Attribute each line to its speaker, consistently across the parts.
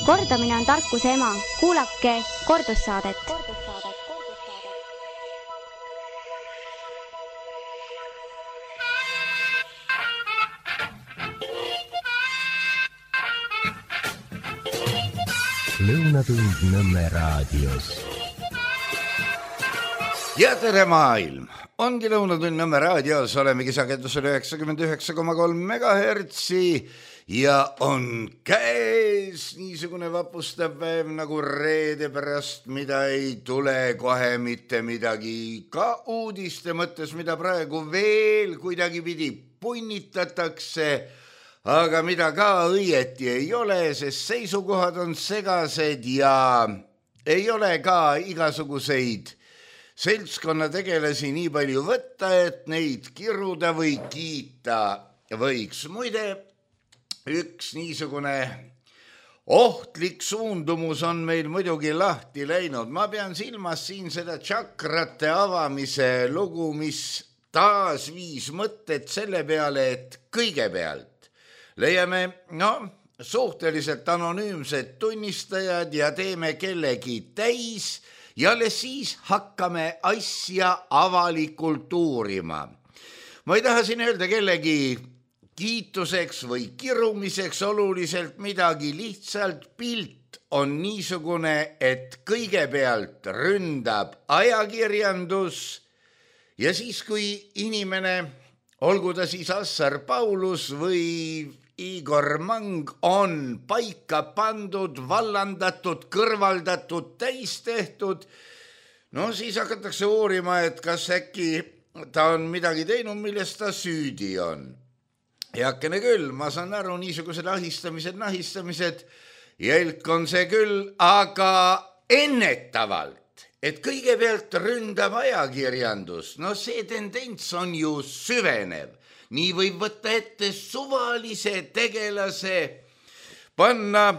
Speaker 1: Kordamine on tarkuse ema. Kuulake kordussaadet.
Speaker 2: Lõunatund Nõmme raadios.
Speaker 3: Ja tere maailm! Ongi Lõunatund Nõmme raadios, olemegi sagedusel 99,3 megahertsi ja on käes niisugune vapustav päev nagu reede pärast, mida ei tule kohe mitte midagi. Ka uudiste mõttes, mida praegu veel kuidagi pidi punnitatakse, aga mida ka õieti ei ole, sest seisukohad on segased ja ei ole ka igasuguseid seltskonnategelasi nii palju võtta, et neid kiruda või kiita võiks. Muide, üks niisugune ohtlik suundumus on meil muidugi lahti läinud. Ma pean silmas siin seda tšakrate avamise lugu, mis taas viis mõtted selle peale, et kõigepealt leiame suhteliselt anonüümsed tunnistajad ja teeme kellegi täis ja alles siis hakkame asja avalikult uurima. Ma ei taha siin öelda kellegi kiituseks või kirumiseks oluliselt midagi, lihtsalt pilt on niisugune, et kõigepealt ründab ajakirjandus ja siis, kui inimene, olgu ta siis Assar Paulus või Igor Mang, on paika pandud, vallandatud, kõrvaldatud, täis tehtud, siis hakatakse uurima, et kas äkki ta on midagi teinud, millest ta süüdi on. Heakene küll, ma saan aru, niisugused ahistamised, jälk on see küll, aga ennetavalt, et kõigepealt ründab ajakirjandus, see tendents on ju süvenev. Nii võib võtta ette suvalise tegelase, panna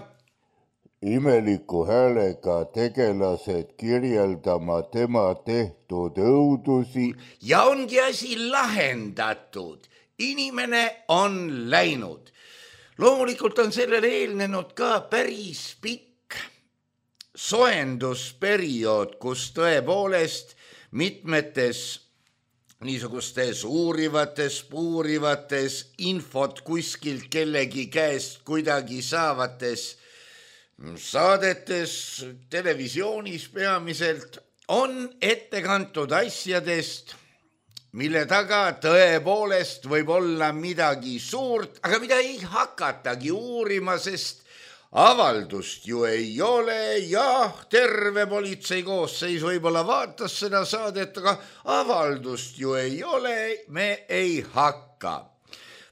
Speaker 4: imeliku häälega tegelased kirjeldama tema tehtud õudusi.
Speaker 3: Ja ongi asi lahendatud. Inimene on läinud. Loomulikult on sellele eelnenud ka päris pikk soendusperiood, kus tõepoolest mitmetes niisugustes puurivates infot kuskilt kellegi käest kuidagi saavates saadetes, televisioonis peamiselt, on ette kantud asjadest, mille taga tõepoolest võib olla midagi suurt, aga mida ei hakatagi uurima, sest avaldust ju ei ole, terve politsei koosseis võib-olla vaatas seda saadet, aga avaldust ju ei ole, me ei hakka.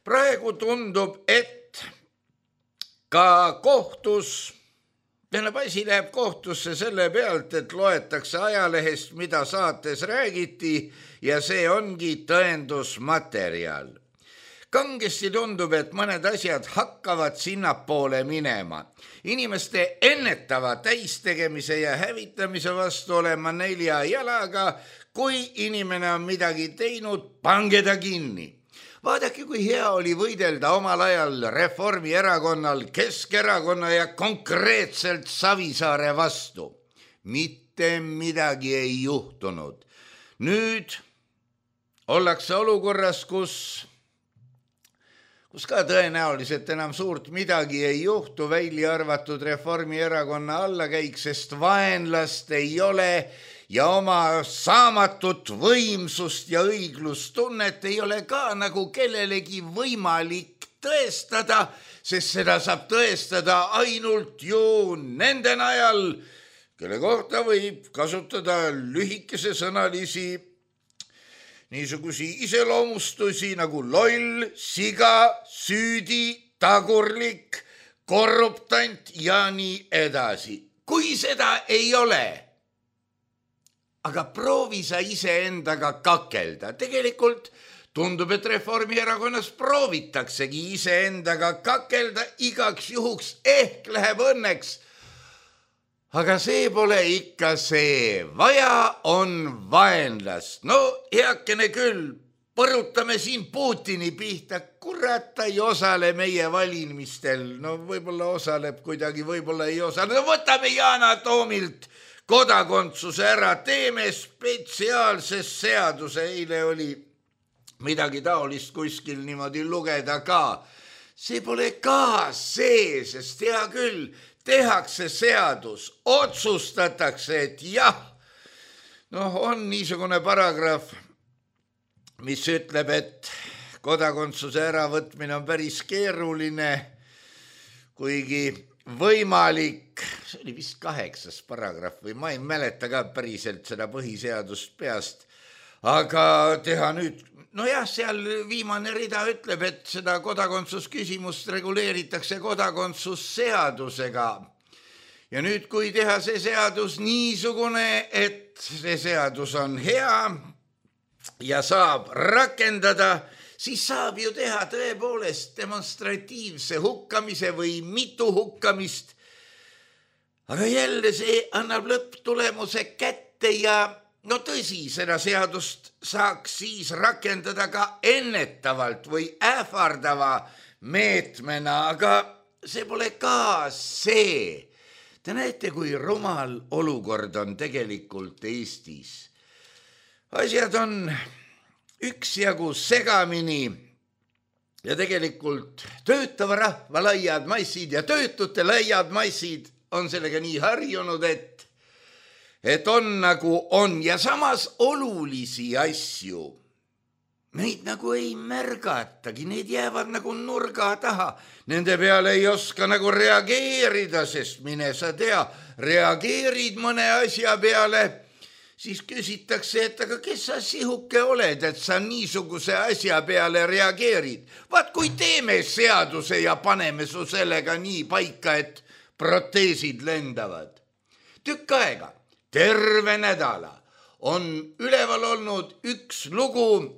Speaker 3: Praegu tundub, et ka kohtus, asi läheb kohtusse selle pealt, et loetakse ajalehest, mida saates räägiti ja see ongi tõendusmaterjal. Kangesti tundub, et mõned asjad hakkavad sinnapoole minema. Inimeste ennetava täistegemise ja hävitamise vastu olema 4 jalaga, kui inimene on midagi teinud, pange ta kinni. Vaadake, kui hea oli võidelda omal ajal Reformierakonnal, Keskerakonna ja konkreetselt Savisaare vastu. Mitte midagi ei juhtunud. Nüüd ollakse olukorras, kus ka tõenäoliselt enam suurt midagi ei juhtu, välja arvatud Reformierakonna allakäik, sest vaenlast ei ole ja oma saamatut võimsust ja õiglustunnet ei ole ka nagu kellelegi võimalik tõestada, sest seda saab tõestada ainult ju nende najal, kelle kohta võib kasutada lühikese sõnalisi niisugusi iseloomustusi nagu loll, siga, süüdi, tagurlik, korruptant ja nii edasi. Kui seda ei ole, aga proovi sa iseendaga kakelda. Tegelikult tundub, et Reformierakonnas proovitaksegi iseendaga kakelda igaks juhuks, ehk läheb õnneks. Aga see pole ikka see, vaja on vaenlast. Heakene küll, põrutame siin Putini pihta, kurat, ta ei osale meie valimistel, no võib-olla osaleb kuidagi, võib-olla ei osale, no võtame Yana Toomilt kodakondsuse ära, teeme spetsiaalse seaduse, eile oli midagi taolist kuskil niimoodi lugeda ka. See pole ka see, sest hea küll, tehakse seadus, otsustatakse, et jah, noh, on niisugune paragrahv, mis ütleb, et kodakondsuse äravõtmine on päris keeruline, kuigi võimalik, see oli vist 8. paragrahv või ma ei mäleta ka päriselt seda põhiseadust peast, aga teha nüüd, nojah, seal viimane rida ütleb, et seda kodakondsusküsimust reguleeritakse kodakondsusseadusega. Ja nüüd, kui teha see seadus niisugune, et see seadus on hea ja saab rakendada, siis saab ju teha tõepoolest demonstratiivse hukkamise või mitu hukkamist. Aga jälle see annab lõpptulemuse kätte ja no tõsi, seda seadust saaks siis rakendada ka ennetavalt või ähvardava meetmena, aga see pole ka see. Te näete, kui rumal olukord on tegelikult Eestis. Asjad on üksjagu segamini ja tegelikult töötava rahva laiad massid ja töötute laiad massid on sellega nii harjunud, et on nagu on ja samas olulisi asju. Neid nagu ei märgatagi, need jäävad nagu nurga taha. Nende peale ei oska nagu reageerida, sest mine sa tea, reageerid mõne asja peale, siis küsitakse, et aga kes sa sihuke oled, et sa niisuguse asja peale reageerid. Vaat kui teeme seaduse ja paneme su sellega nii paika, et proteesid lendavad. Tükk aega, terve nädala on üleval olnud üks lugu,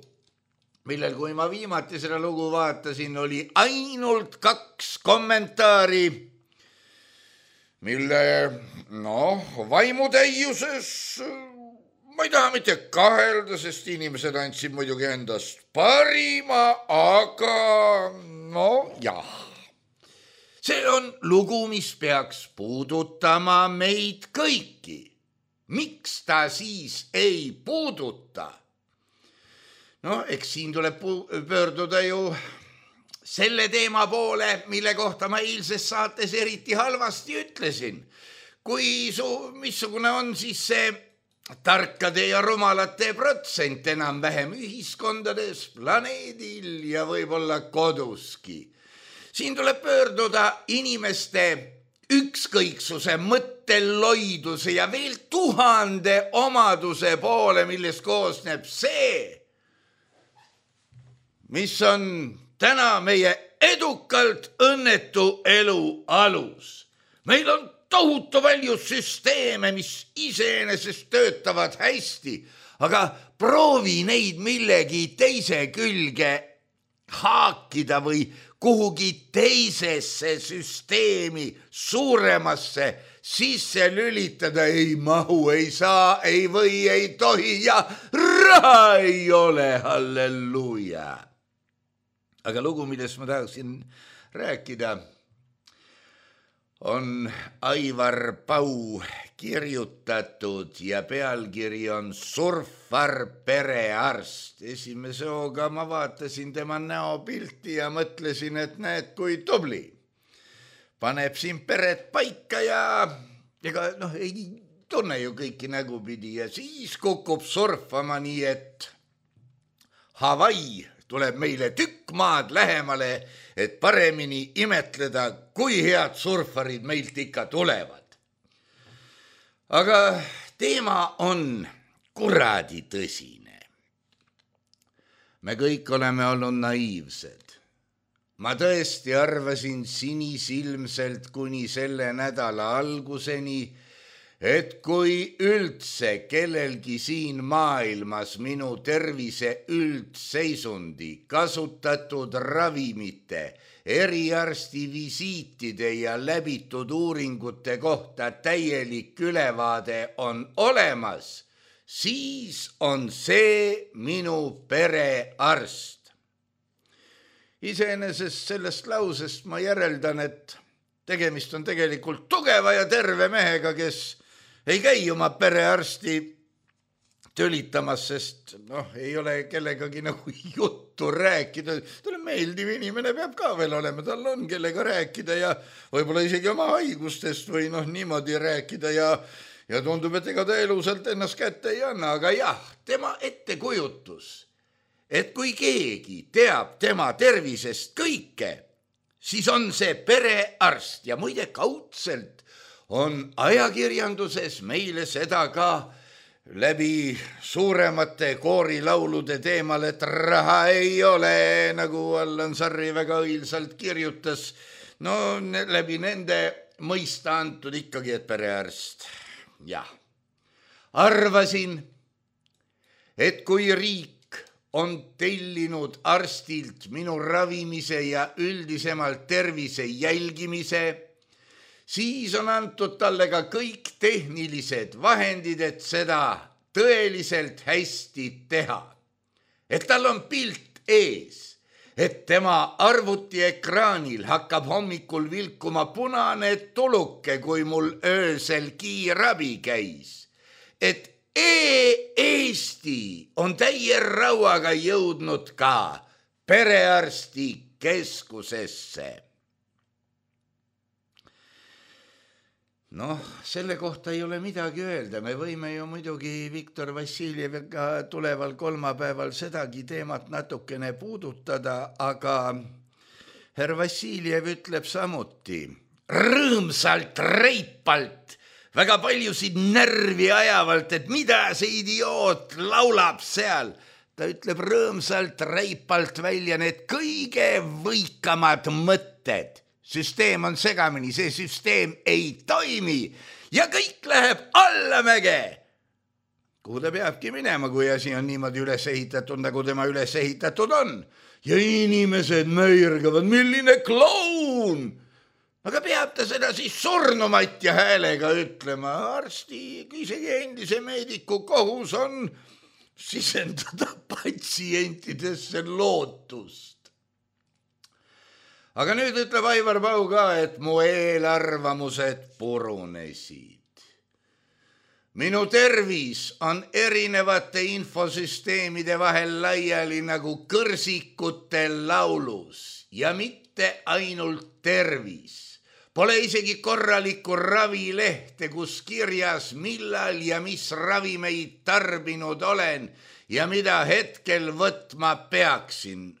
Speaker 3: millel, kui ma viimati seda lugu vaatasin, oli ainult 2 kommentaari, mille, vaimutäiuses ma ei taha mitte kahelda, sest inimesed andsid muidugi endast parima, aga jah. See on lugu, mis peaks puudutama meid kõiki. Miks ta siis ei puuduta? Eks siin tuleb pöörduda ju selle teema poole, mille kohta ma eilses saates eriti halvasti ütlesin. Missugune on siis see tarkade ja rumalate protsent enam-vähem ühiskondades, planeedil ja võib-olla koduski. Siin tuleb pöörduda inimeste ükskõiksuse, mõtteloiduse ja veel 1000 omaduse poole, millest koosneb see, mis on täna meie edukalt õnnetu elu alus. Meil on tohutu palju süsteeme, mis iseenesest töötavad hästi, aga proovi neid millegi teise külge haakida või kuhugi teisesse süsteemi, suuremasse sisse lülitada, ei mahu, ei saa, ei või, ei tohi ja raha ei ole, halleluuja. Aga lugu, millest ma tahaksin rääkida, on Aivar Pau kirjutatud ja pealkiri on Surfar perearst. Esimese hooga ma vaatasin tema näopilti ja mõtlesin, et näed, kui tubli. Paneb siin peret paika ja ega ei tunne ju kõiki nägupidi ja siis kukub surfama nii, et Hawaii tuleb meile tükk maad lähemale, et paremini imetleda, kui head surfarid meilt ikka tulevad. Aga teema on kuradi tõsine. Me kõik oleme olnud naiivsed. Ma tõesti arvasin sinisilmselt kuni selle nädala alguseni, et kui üldse kellelgi siin maailmas minu tervise üldseisundi, kasutatud ravimite, eriarsti visiitide ja läbitud uuringute kohta täielik ülevaade on olemas, siis on see minu perearst. Iseenesest sellest lausest ma järeldan, et tegemist on tegelikult tugeva ja terve mehega, kes ei käi oma perearsti tölitamas, sest ei ole kellegagi nagu juttu rääkida. Tal on meeldiv inimene, peab ka veel olema, tal on kellega rääkida ja võib-olla isegi oma haigustest või niimoodi rääkida ja tundub, et ega ta elusalt ennast kätte ei anna, aga jah, tema ettekujutus, et kui keegi teab tema tervisest kõike, siis on see perearst ja muide kaudselt on ajakirjanduses meile seda ka läbi suuremate koorilaulude teemal, et raha ei ole, nagu Allan Sarri väga õilsalt kirjutas, läbi nende mõista antud ikkagi, et perearst. Jah, arvasin, et kui riik on tellinud arstilt minu ravimise ja üldisemalt tervise jälgimise, siis on antud talle ka kõik tehnilised vahendid, et seda tõeliselt hästi teha. Et tal on pilt ees, et tema arvutiekraanil hakkab hommikul vilkuma punane tuluke, kui mul öösel kiirabi käis. Et Eesti on täie rauaga jõudnud ka perearsti keskusesse. Selle kohta ei ole midagi öelda. Me võime ju muidugi Viktor Vassiljeviga tuleval kolmapäeval sedagi teemat natukene puudutada, aga herr Vassiljev ütleb samuti rõõmsalt, reipalt, väga paljusid närvi ajavalt, et mida see idioot laulab seal. Ta ütleb rõõmsalt, reipalt välja need kõige võikamad mõtted. Süsteem on segamini, see süsteem ei toimi ja kõik läheb allamäge. Kuhu ta peabki minema, kui asi on niimoodi üles ehitatud, nagu tema üles ehitatud on. Ja inimesed möirgavad, milline kloun! Aga peab ta seda siis surnumatja häälega ütlema. Arsti, isegi endise meediku kohus on sisendada patsientidesse lootust. Aga nüüd ütleb Aivar Pau ka, et mu eelarvamused purunesid. Minu tervis on erinevate infosüsteemide vahel laiali nagu kõrsikute laulus ja mitte ainult tervis. Pole isegi korralikku ravilehte, kus kirjas, millal ja mis ravimeid tarbinud olen ja mida hetkel võtma peaksin.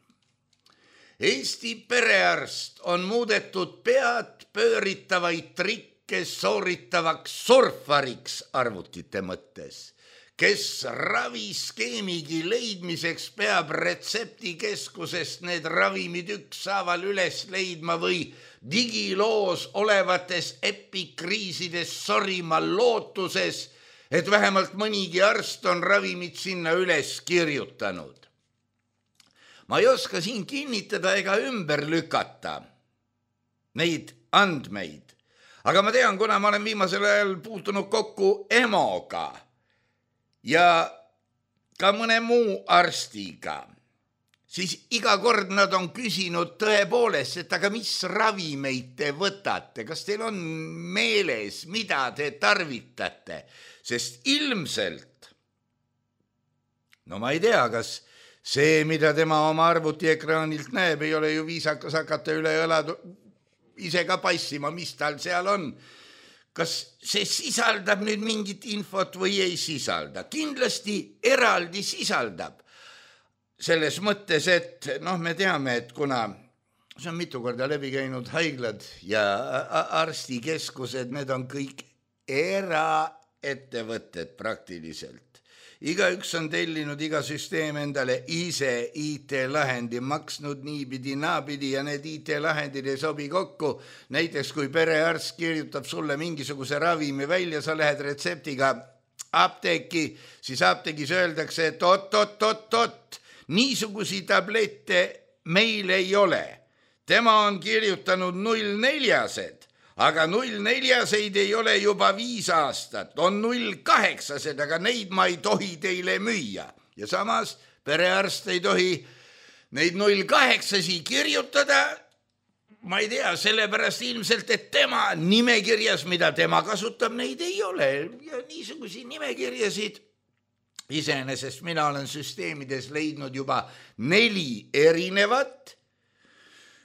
Speaker 3: Eesti perearst on muudetud pead pööritavaid trikke sooritavaks surfariks arvutite mõttes, kes raviskeemigi leidmiseks peab retseptikeskusest need ravimid ükshaaval üles leidma või digiloos olevates epikriisides sorima lootuses, et vähemalt mõnigi arst on ravimid sinna üles kirjutanud. Ma ei oska siin kinnitada ega ümber lükata neid andmeid, aga ma tean, kuna ma olen viimasel ajal puutunud kokku EMO-ga ja ka mõne muu arstiga, siis iga kord nad on küsinud tõepoolest, et aga mis ravimeid te võtate, kas teil on meeles, mida te tarvitate, sest ilmselt, ma ei tea, kas see, mida tema oma arvutiekraanilt näeb, ei ole ju viisakas hakata üle õla ise ka passima, mis tal seal on. Kas see sisaldab nüüd mingit infot või ei sisalda? Kindlasti eraldi sisaldab. Selles mõttes, et me teame, et kuna see on mitu korda läbi käinud haiglad ja arstikeskused, need on kõik eraettevõtted praktiliselt. Igaüks on tellinud iga süsteem endale ise IT-lahendi, maksnud niipidi, naapidi ja need IT-lahendid ei sobi kokku. Näiteks kui perearst kirjutab sulle mingisuguse ravimi välja, sa lähed retseptiga apteeki, siis apteegis öeldakse, et oot, niisugusi tablette meil ei ole. Tema on kirjutanud 04-sed, aga 0,4-seid ei ole juba 5 aastat, on 0,8-sed, aga neid ma ei tohi teile müüa. Ja samas perearst ei tohi neid 0,8-si kirjutada, ma ei tea, sellepärast ilmselt, et tema nimekirjas, mida tema kasutab, neid ei ole. Ja niisugusi nimekirjasid iseenesest mina olen süsteemides leidnud juba 4 erinevat,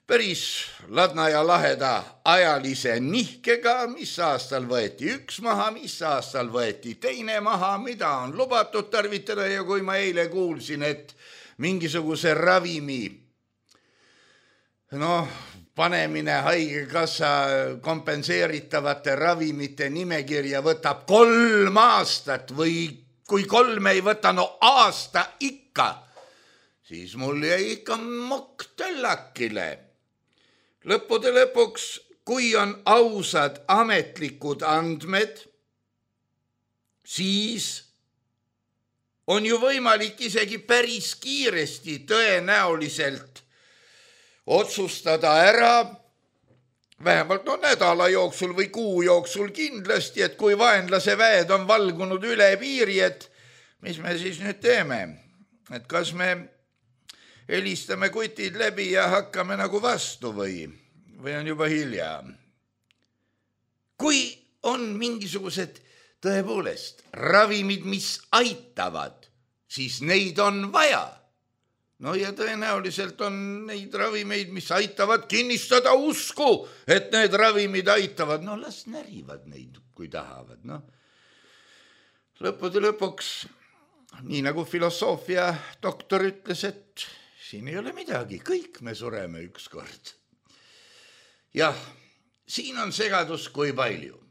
Speaker 3: päris ladna ja laheda ajalise nihkega, mis aastal võeti 1 maha, mis aastal võeti 2 maha, mida on lubatud tarvitada ja kui ma eile kuulsin, et mingisuguse ravimi panemine haigekassa kompenseeritavate ravimite nimekirja võtab 3 aastat või kui 3 ei võta, aasta ikka, siis mul jäi ikka mokk töllakile. Lõppude lõpuks, kui on ausad ametlikud andmed, siis on ju võimalik isegi päris kiiresti tõenäoliselt otsustada ära, vähemalt nädala jooksul või kuu jooksul kindlasti, et kui vaenlase väed on valgunud üle piiri, et mis me siis nüüd teeme? Et kas me helistame kutid läbi ja hakkame nagu vastu või on juba hilja? Kui on mingisugused tõepoolest ravimid, mis aitavad, siis neid on vaja. Ja tõenäoliselt on neid ravimeid, mis aitavad kinnistada usku, et need ravimid aitavad. Las närivad neid, kui tahavad. Lõppude lõpuks, nii nagu filosoofia doktor ütles, et siin ei ole midagi, kõik me sureme ükskord. Jah, siin on segadus kui palju.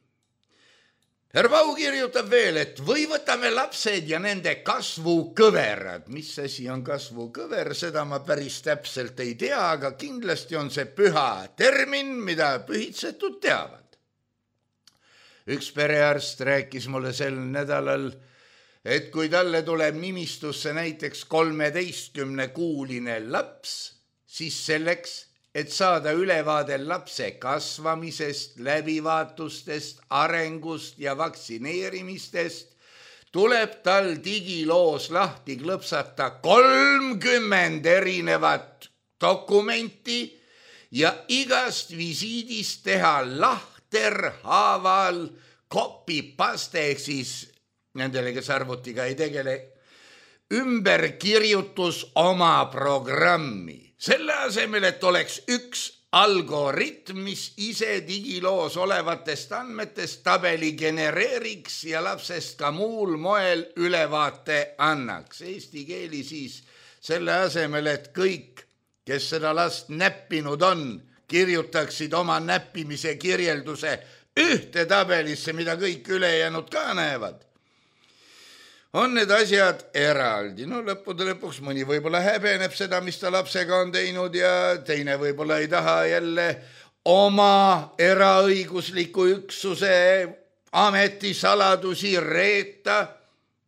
Speaker 3: Herr Pau kirjutab veel, et või võtame lapsed ja nende kasvukõverad. Mis asi on kasvukõver, seda ma päris täpselt ei tea, aga kindlasti on see püha termin, mida pühitsetud teavad. Üks perearst rääkis mulle sel nädalal, et kui talle tuleb nimistusse näiteks 13-kuuline laps, siis selleks, et saada ülevaade lapse kasvamisest, läbivaatustest, arengust ja vaktsineerimistest, tuleb tal digiloos lahti klõpsata 30 erinevat dokumenti ja igast visiidist teha lahterhaaval copy-paste ehk siis nendele, kes arvutiga ei tegele, ümberkirjutus oma programmi. Selle asemel, et oleks üks algoritm, mis ise digiloos olevatest andmetest tabeli genereeriks ja lapsest ka muul moel ülevaate annaks. Eesti keeli siis selle asemel, et kõik, kes seda last näppinud on, kirjutaksid oma näppimise kirjelduse ühte tabelisse, mida kõik ülejäänud ka näevad. On need asjad eraldi. Lõppude lõpuks mõni võib-olla häbeneb seda, mis ta lapsega on teinud ja teine võib-olla ei taha jälle oma eraõigusliku üksuse ametisaladusi reeta.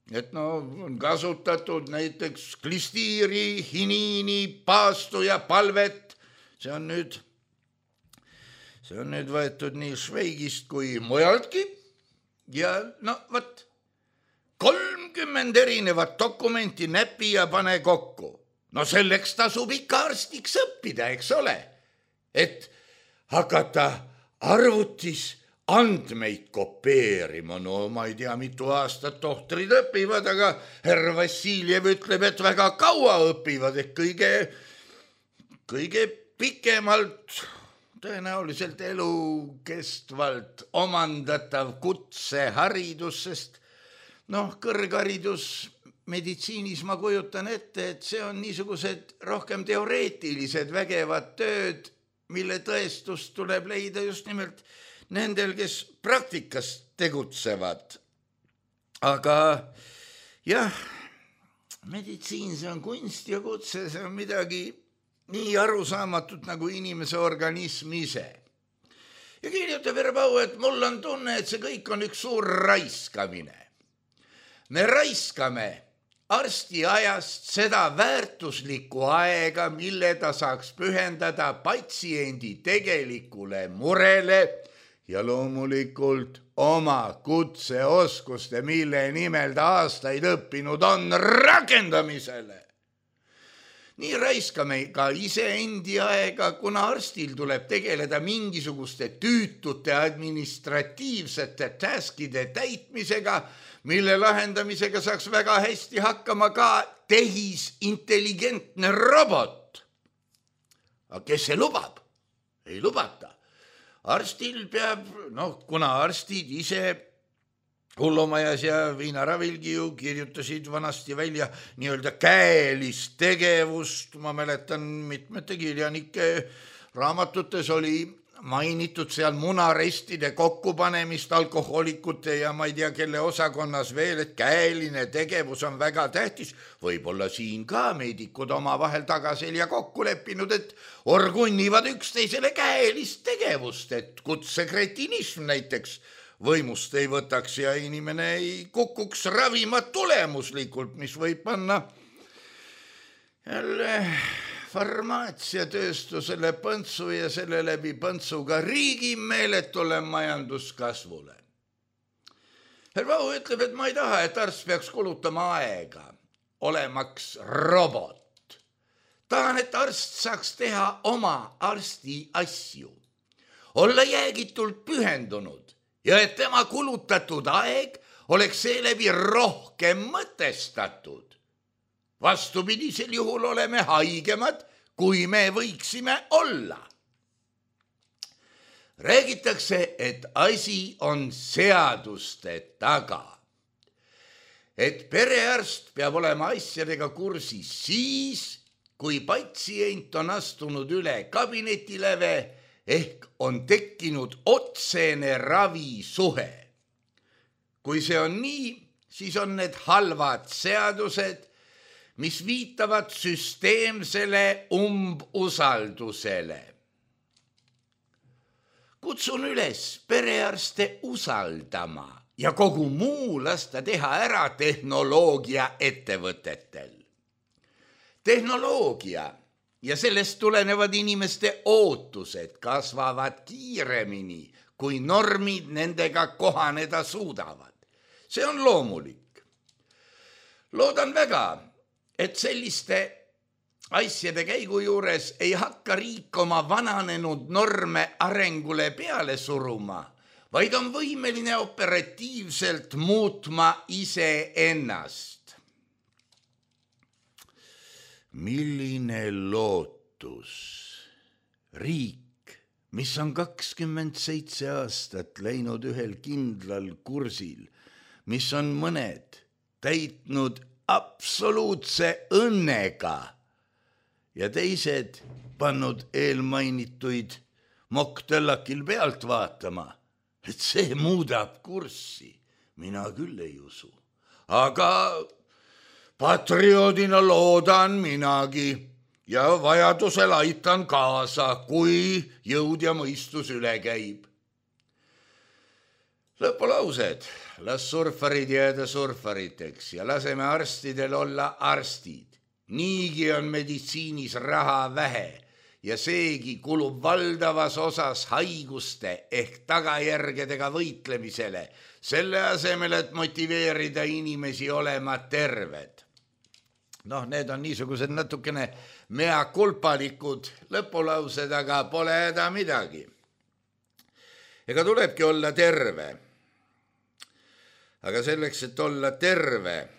Speaker 3: Et on kasutatud näiteks klistiiri, hiniini, paastu ja palvet. See on nüüd võetud nii Šveigist kui mujaltki. Ja võt. 30 erinevat dokumenti näpi ja pane kokku. Selleks tasub ikka arstiks õppida, eks ole? Et hakata arvutis andmeid kopeerima. Ma ei tea, mitu aastat tohtrid õpivad, aga härra Vassiljev ütleb, et väga kaua õpivad, et kõige pikemalt, tõenäoliselt elukestvalt omandatav kutseharidus, sest kõrgharidus meditsiinis ma kujutan ette, et see on niisugused rohkem teoreetilised vägevad tööd, mille tõestust tuleb leida just nimelt nendel, kes praktikas tegutsevad. Aga jah, meditsiin, see on kunst ja kutse, see on midagi nii arusaamatut nagu inimese organism ise. Ja kirjutab Herr Pau, et mul on tunne, et see kõik on üks suur raiskamine. Me raiskame arsti ajast seda väärtuslikku aega, mille ta saaks pühendada patsiendi tegelikule murele ja loomulikult oma kutseoskuste, mille nimel ta aastaid õppinud on, rakendamisele. Nii raiskame ka iseendi aega, kuna arstil tuleb tegeleda mingisuguste tüütute administratiivsete taskide täitmisega, mille lahendamisega saaks väga hästi hakkama ka tehisintelligentne robot. Aga kes see lubab? Ei lubata. Arstil peab, kuna arstid ise Hullumajas ja Viinaravilgi ju kirjutasid vanasti välja nii-öelda käelist tegevust. Ma mäletan mitmete kirjanike raamatutes oli mainitud seal munarestide kokkupanemist alkohoolikute ja ma ei tea, kelle osakonnas veel, et käeline tegevus on väga tähtis. Võib-olla siin ka meedikud oma vahel tagaselja kokku leppinud, et orgunnivad üksteisele käelist tegevust, et kutsekretinism näiteks võimust ei võtaks ja inimene ei kukuks ravima tulemuslikult, mis võib panna jälle farmaatsiatööstusele põntsu ja selle läbi põntsuga riigi meeletule majanduskasvule. Vau ütleb, et ma ei taha, et arst peaks kulutama aega olemaks robot. Tahan, et arst saaks teha oma arsti asju, olla jäägitult pühendunud ja et tema kulutatud aeg oleks seeläbi rohkem mõtestatud. Vastupidisel juhul oleme haigemad, kui me võiksime olla. Räägitakse, et asi on seaduste taga. Et perearst peab olema asjadega kursis siis, kui patsient on astunud üle kabinetileve ehk on tekkinud otsene ravisuhe. Kui see on nii, siis on need halvad seadused, mis viitavad süsteemsele umbusaldusele. Kutsun üles perearste usaldama ja kogu muu lasta teha ära tehnoloogia ettevõtetel. Tehnoloogia ja sellest tulenevad inimeste ootused kasvavad kiiremini, kui normid nendega kohaneda suudavad. See on loomulik. Loodan väga, et selliste asjade käigu juures ei hakka riik oma vananenud norme arengule peale suruma, vaid on võimeline operatiivselt muutma iseennast. Milline lootus? Riik, mis on 27 aastat läinud ühel kindlal kursil, mis on mõned täitnud absoluutse õnnega ja teised pannud eelmainituid moktõllakil pealt vaatama, et see muudab kurssi. Mina küll ei usu. Aga patrioodina loodan minagi ja vajadusel aitan kaasa, kui jõud ja mõistus üle käib. Lõpulaused, las surfarid jääda surfariteks ja laseme arstidel olla arstid. Niigi on meditsiinis raha vähe ja seegi kulub valdavas osas haiguste ehk tagajärgedega võitlemisele, selle asemel, et motiveerida inimesi olema terved. Need on niisugused natukene meakulpalikud lõpulaused, aga pole häda midagi. Ega tulebki olla terve. Aga selleks, et olla terve,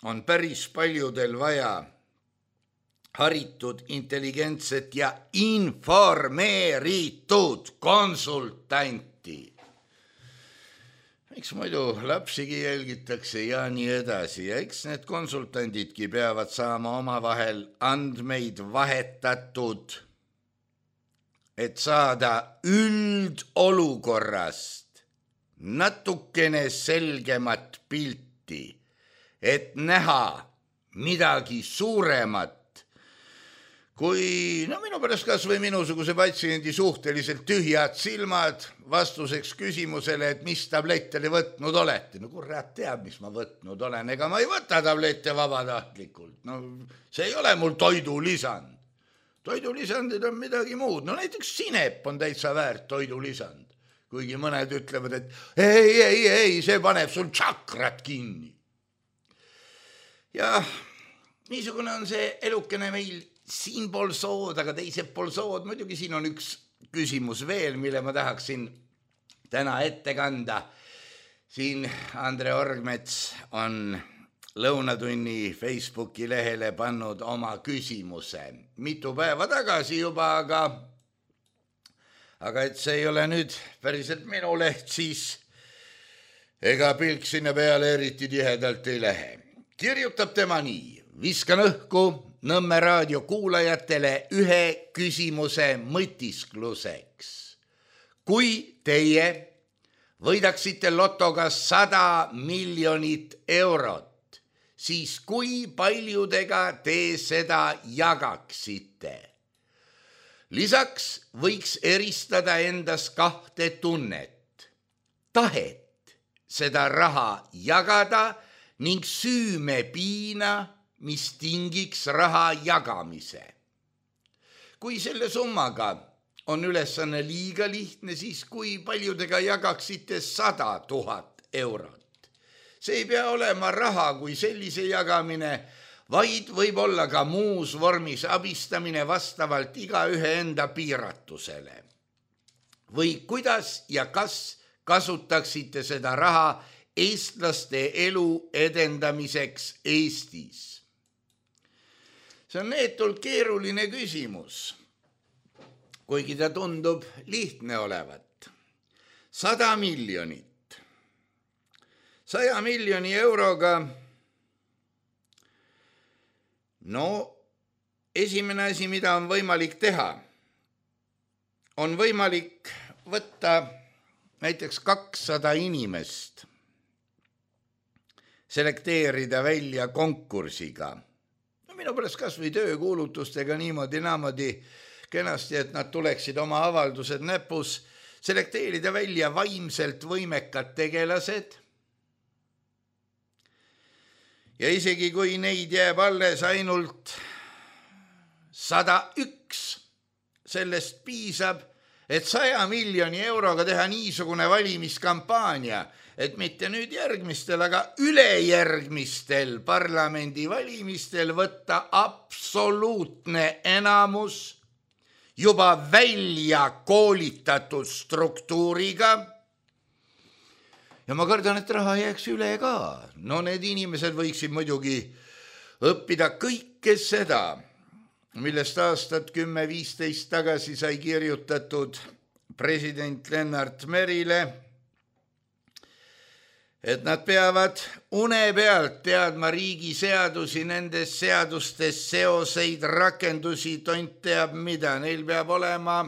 Speaker 3: on päris paljudel vaja haritud, intelligentset ja informeeritud konsultanti. Miks muidu lapsigi jälgitakse ja nii edasi ja eks need konsultandidki peavad saama omavahel andmeid vahetatud, et saada üldolukorrast natukene selgemat pilti, et näha midagi suuremat, kui minu pärast kas või minusuguse patsiendi suhteliselt tühjad silmad vastuseks küsimusele, et mis tablette te võtnud olete. Kurat teab, mis ma võtnud olen, ega ma ei võta tablette vabatahtlikult. See ei ole mul toidulisand. toidulisandid on midagi muud. No näiteks sinep on täitsa väärt toidulisand. Kuigi mõned ütlevad, et ei, see paneb sul tšakrat kinni. Ja niisugune on see elukene meil siinpool sood, aga teisel pool sood. Muidugi siin on üks küsimus veel, mille ma tahaksin täna ette kanda. Siin Andre Orgmets on Lõunatunni Facebooki lehele pannud oma küsimuse. Mitu päeva tagasi juba, aga et see ei ole nüüd päriselt minu leht, siis ega pilk sinna peale eriti tihedalt ei lähe. Kirjutab tema nii: viskan õhku Nõmme raadio kuulajatele ühe küsimuse mõtiskluseks. Kui teie võidaksite lotoga 100 miljonit eurot, siis kui paljudega te seda jagaksite? Lisaks võiks eristada endas 2 tunnet: tahet seda raha jagada ning süümepiina, mis tingiks raha jagamise. Kui selle summaga on ülesanne liiga lihtne, siis kui paljudega jagaksite 100 000 eurot? See ei pea olema raha kui sellise jagamine, vaid võib olla ka muus vormis abistamine vastavalt igaühe enda piiratusele. Või kuidas ja kas kasutaksite seda raha eestlaste elu edendamiseks Eestis? See on neetult keeruline küsimus, kuigi ta tundub lihtne olevat. 100 miljonit. 100 miljoni euroga. No, esimene asi, mida on võimalik teha, on võimalik võtta näiteks 200 inimest, selekteerida välja konkursiga. No minu pärast kas või töökuulutustega niimoodi kenasti, et nad tuleksid oma avaldused näpus, selekteerida välja vaimselt võimekad tegelased. Ja isegi kui neid jääb alles ainult 101, sellest piisab, et 100 miljoni euroga teha niisugune valimiskampaania, et mitte nüüd järgmistel, aga ülejärgmistel parlamendivalimistel võtta absoluutne enamus juba välja koolitatud struktuuriga. Ja ma kardan, et raha jääks üle ka. No need inimesed võiksid muidugi õppida kõike seda, millest aastat 10-15 tagasi sai kirjutatud president Lennart Merile, et nad peavad une pealt teadma riigi seadusi, nendes seadustes seoseid, rakendusi, tont teab mida. Neil peab olema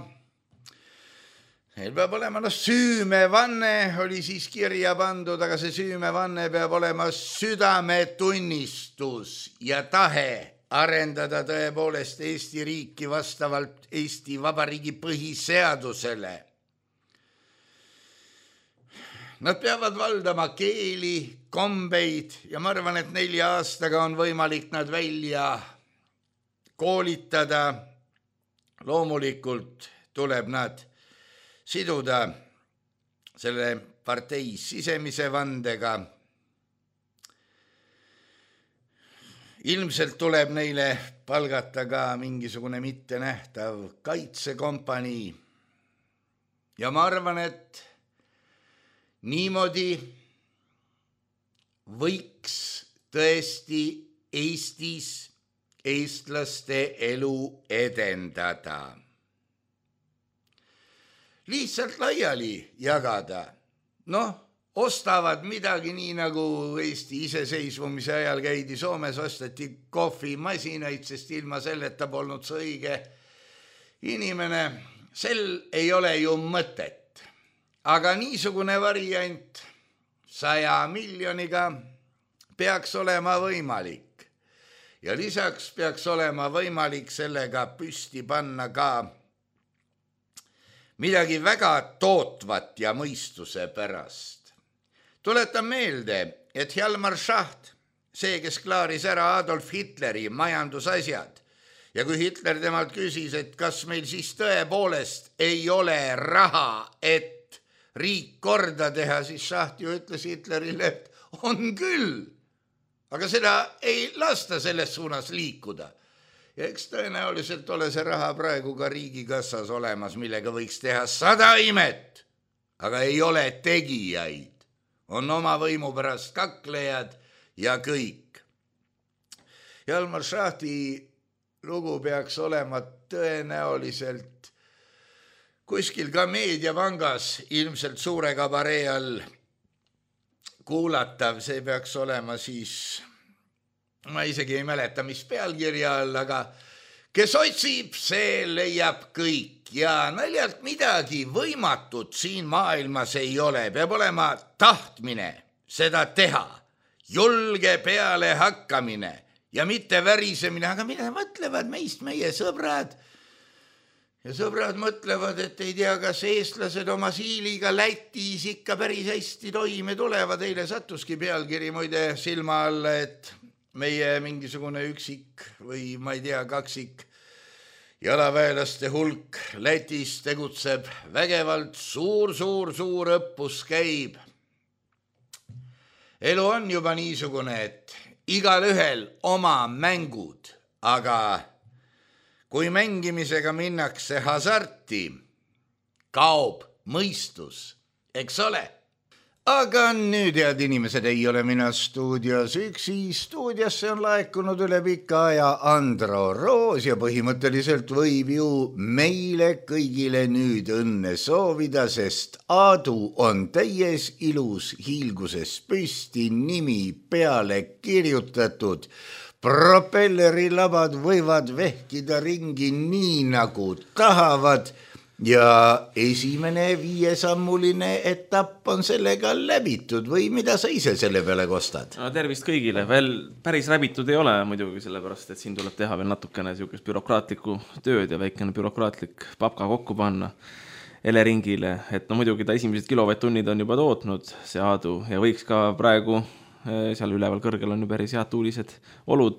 Speaker 3: süümevanne, oli siis kirja pandud, aga see süümevanne peab olema südametunnistus ja tahe arendada tõepoolest Eesti riiki vastavalt Eesti Vabariigi põhiseadusele. Nad peavad valdama keeli, kombeid ja ma arvan, et 4 aastaga on võimalik nad välja koolitada. Loomulikult tuleb nad siduda selle partei sisemise vandega. Ilmselt tuleb neile palgata ka mingisugune mittenähtav kaitsekompanii. Ja ma arvan, et niimoodi võiks tõesti Eestis eestlaste elu edendada. Lihtsalt laiali jagada. Noh, ostavad midagi nii nagu Eesti iseseisvumise ajal käidi Soomes, osteti kohvimasinaid, sest ilma selleta polnud see õige inimene. Sel ei ole ju mõtet. Aga niisugune variant 100 miljoniga peaks olema võimalik. Ja lisaks peaks olema võimalik sellega püsti panna ka midagi väga tootvat ja mõistuse pärast. Tuletan meelde, et Hjalmar Schacht, see, kes klaaris ära Adolf Hitleri majandusasjad Ja kui Hitler temalt küsis, et kas meil siis tõepoolest ei ole raha, et riik korda teha, siis Schacht ju ütles Hitlerile, et on küll, aga seda ei lasta selles suunas liikuda. Ja eks tõenäoliselt ole see raha praegu ka riigikassas olemas, millega võiks teha 100 imet, aga ei ole tegijaid. On oma võimu pärast kaklejad ja kõik. Hjalmar Schachti lugu peaks olema tõenäoliselt kuskil ka meediapangas, ilmselt suure kabaree all kuulatav, see peaks olema siis, ma isegi ei mäleta, mis pealkirja all, aga kes otsib, see leiab kõik ja naljalt midagi võimatut siin maailmas ei ole, peab olema tahtmine seda teha, julge peale hakkamine ja mitte värisemine, aga mida mõtlevad meist meie sõbrad? Ja sõbrad mõtlevad, et ei tea, kas eestlased oma siiliga Lätis ikka päris hästi toime tulevad. Eile sattuski pealkiri muide silma alla, et meie mingisugune üksik või ma ei tea, kaksik jalaväelaste hulk Lätis tegutseb vägevalt, suur õppus käib. Elu on juba niisugune, et igal ühel oma mängud, aga kui mängimisega minnakse hasarti, kaob mõistus, eks ole? Aga nüüd, head inimesed, ei ole mina stuudios üksi. Stuudiosse on laekunud üle pika aja Andro Roos ja põhimõtteliselt võib ju meile kõigile nüüd õnne soovida, sest Aadu on täies ilus hiilguses püsti, nimi peale kirjutatud. Propellerilabad võivad vehkida ringi nii nagu tahavad ja esimene 5-sammuline etapp on sellega läbitud või mida sa ise selle peale kostad?
Speaker 5: No, tervist kõigile, veel päris läbitud ei ole muidugi sellepärast, et siin tuleb teha veel natukene siukest bürokraatlikku tööd ja väikene bürokraatlik papka kokku panna Eleringile, et no muidugi ta esimesed kilovatt-tunnid on juba tootnud see Aadu ja võiks ka praegu seal üleval kõrgel on ju päris head tuulised olud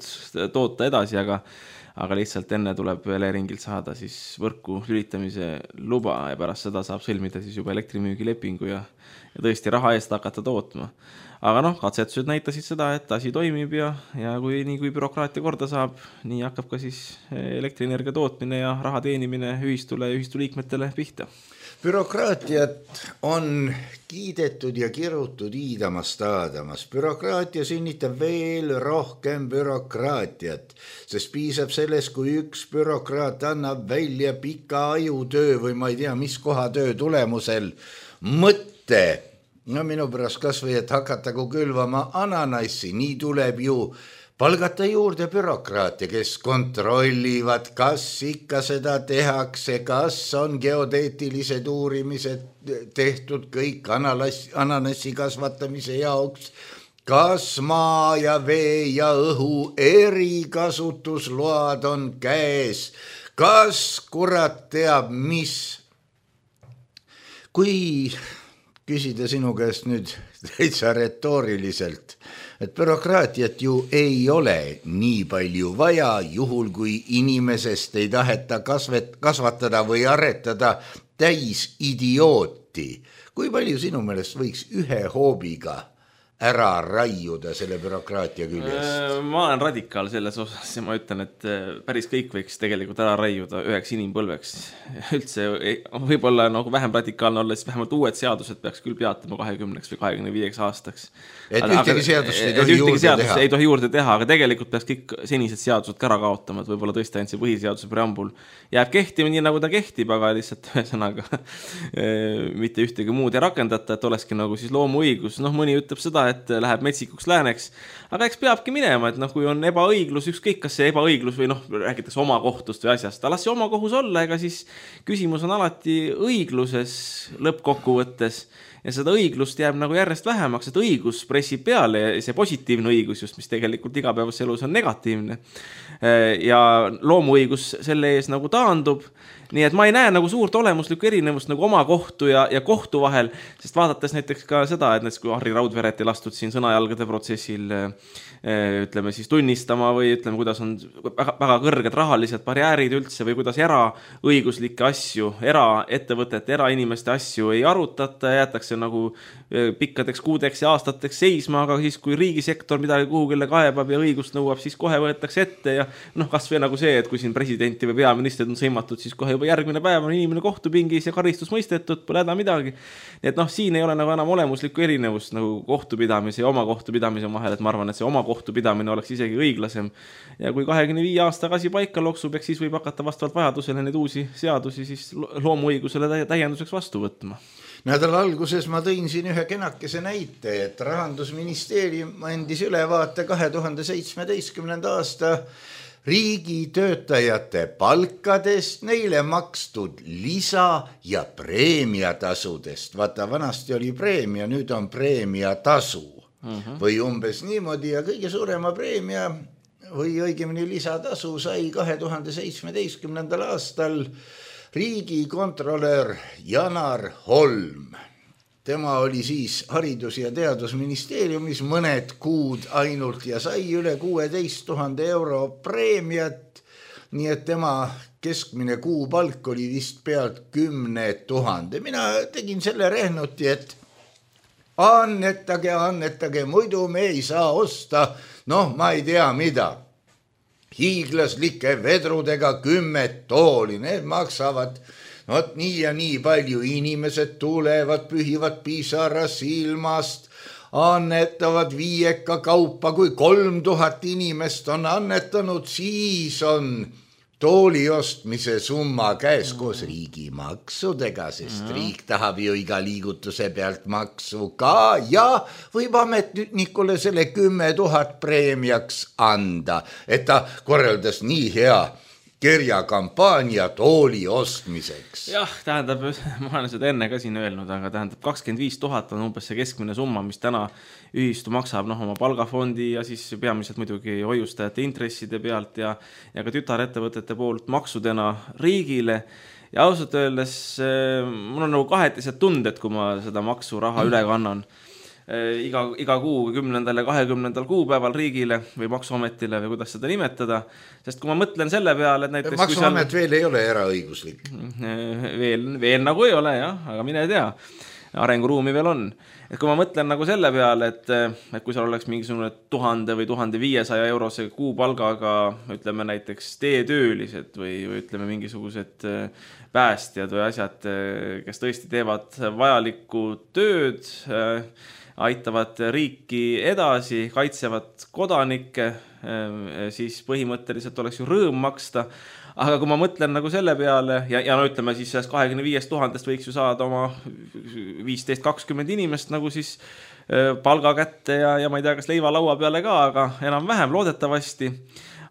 Speaker 5: toota edasi, aga lihtsalt enne tuleb Eleringilt saada siis võrku lülitamise luba ja pärast seda saab sõlmida siis juba elektrimüügilepingu ja tõesti raha eest hakata tootma. Aga noh, katsetused näitasid seda, et asi toimib ja kui bürokraatia korda saab, nii hakkab ka siis elektrienergia tootmine ja raha teenimine ühistule ja ühistuliikmetele pihta.
Speaker 3: Bürokraatiat on kiidetud ja kirutud iidamast aadamas. Bürokraatia sünnitab veel rohkem bürokraatiat, sest piisab sellest, kui üks bürokraat annab välja pika ajutöö või ma ei tea, mis kohatöö tulemusel mõtte. No minu pärast kas või, et hakatagu külvama ananassi, nii tuleb ju palgata juurde bürokraate, kes kontrollivad, kas ikka seda tehakse, kas on geodeetilised uurimised tehtud kõik ananassi kasvatamise jaoks, kas maa ja vee ja õhu erikasutusload on käes, kas kurat teab mis. Kui küsida sinu käest nüüd täitsa retooriliselt, et bürokraatiat ju ei ole nii palju vaja, juhul kui inimesest ei taheta kasvatada või aretada täis idiooti. Kui palju sinu meelest võiks ühe hoobiga ära raiuda selle bürokraatia küljest?
Speaker 5: Ma olen radikaal selles osas ja ma ütlen, et päris kõik võiks tegelikult ära raiuda üheks inimpõlveks. Üldse võib-olla nagu vähem radikaalne olla, siis vähemalt uued seadused peaks küll peatama 20 või 25 aastaks.
Speaker 3: Et ühtegi seadust ei
Speaker 5: tohi juurde teha, aga tegelikult peaks kõik senised seadused ära kaotama, et võib-olla tõesti ainult see põhiseaduse preambul jääb kehtima nii, nagu ta kehtib, aga lihtsalt ühesõnaga mitte ühtegi muud ei rakendata, et olekski nagu siis loomuõigus. Noh, mõni ütleb seda, et läheb metsikuks lääneks, aga eks peabki minema, et noh, kui on ebaõiglus, ükskõik kas see ebaõiglus või noh, räägitakse oma kohtust või asjast, las see oma kohus olla, ega siis küsimus on alati õigluses lõppkokkuvõttes ja seda õiglust jääb nagu järjest vähemaks, et õigus pressib peale ja see positiivne õigus just, mis tegelikult igapäevas elus on negatiivne ja loomuõigus selle ees nagu taandub. Nii et ma ei näe nagu suurt olemuslikku erinevust nagu oma kohtu ja kohtu vahel, sest vaadates näiteks ka seda, et kui Harri Raudveret ei astud siin sõnajalgade protsessil ütleme siis tunnistama või ütleme, kuidas on väga kõrged rahalised barjäärid üldse või kuidas eraõiguslikke asju, eraettevõtete, erainimeste asju ei arutata ja jäetakse nagu pikkadeks kuudeks ja aastateks seisma, aga siis kui riigisektor midagi kuhugile kaebab ja õigust nõuab, siis kohe võetakse ette ja kas või nagu see, et kui siin presidenti või peaministrid on sõimatud, siis kohe juba järgmine päev on inimene kohtupingis ja karistus mõistetud, pole häda midagi. Nii et siin ei ole nagu enam olemuslikku erinevust nagu kohtupidamise ja oma kohtupidamise vahel, et ma arvan, et see oma kohtupidamine oleks isegi õiglasem. Ja kui 25 aastaga asi paika loksub, eks siis võib hakata vastavalt vajadusele neid uusi seadusi siis loomuõigusele täienduseks vastu võtma.
Speaker 3: Nädala alguses ma tõin siin ühe kenakese näite, et Rahandusministeerium andis ülevaate 2017. aasta riigitöötajate palkadest, neile makstud lisa- ja preemiatasudest. Vaata, vanasti oli preemia, nüüd on preemiatasu. Või umbes niimoodi ja kõige suurema preemia või õigemini lisatasu sai 2017. aastal riigikontrolör Janar Holm. Tema oli siis Haridus- ja Teadusministeeriumis mõned kuud ainult ja sai üle 16 000 euro preemiat, nii et tema keskmine kuupalk oli vist pealt 10 000. Mina tegin selle rehnuti, et annetage, muidu me ei saa osta, ma ei tea mida. Hiiglaslike vedrudega 10 tooli, need maksavad nii ja nii palju, inimesed tulevad, pühivad pisaras ilmast, annetavad viieka kaupa, kui 3000 inimest on annetanud, siis on tooli ostmise summa käes koos riigimaksudega, sest riik tahab ju iga liigutuse pealt maksu ka ja võib ametnikule selle 10 000 preemiaks anda, et ta korraldas nii hea kirjakampaania tooli ostmiseks.
Speaker 5: Jah, tähendab, ma olen seda enne ka siin öelnud, aga tähendab 25 000 on umbes see keskmine summa, mis täna ühistu maksab oma palgafondi ja siis peamiselt muidugi hoiustajate intresside pealt ja ka tütarettevõtete poolt maksudena riigile. Ja ausalt öeldes mul on nagu kahetised tunded, kui ma seda maksuraha üle kannan. Iga kuu 10. ja 20. kuupäeval riigile või maksuametile või kuidas seda nimetada, sest kui ma mõtlen selle peale, et näiteks
Speaker 3: maksuamet veel ei ole eraõiguslik.
Speaker 5: Veel nagu ei ole, jah, aga mine tea, arenguruumi veel on. Et kui ma mõtlen nagu selle peale, et kui seal oleks mingisugune 1000 või 1500 eurose kuupalgaga, ütleme näiteks teetöölised või ütleme mingisugused päästjad või asjad, kes tõesti teevad vajalikku tööd, aitavad riiki edasi, kaitsevad kodanikke, siis põhimõtteliselt oleks ju rõõm maksta. Aga kui ma mõtlen nagu selle peale, ja ütleme siis 25 000 võiks ju saada oma 15-20 inimest nagu siis palga kätte ja ma ei tea, kas leiva laua peale ka, aga enam-vähem loodetavasti.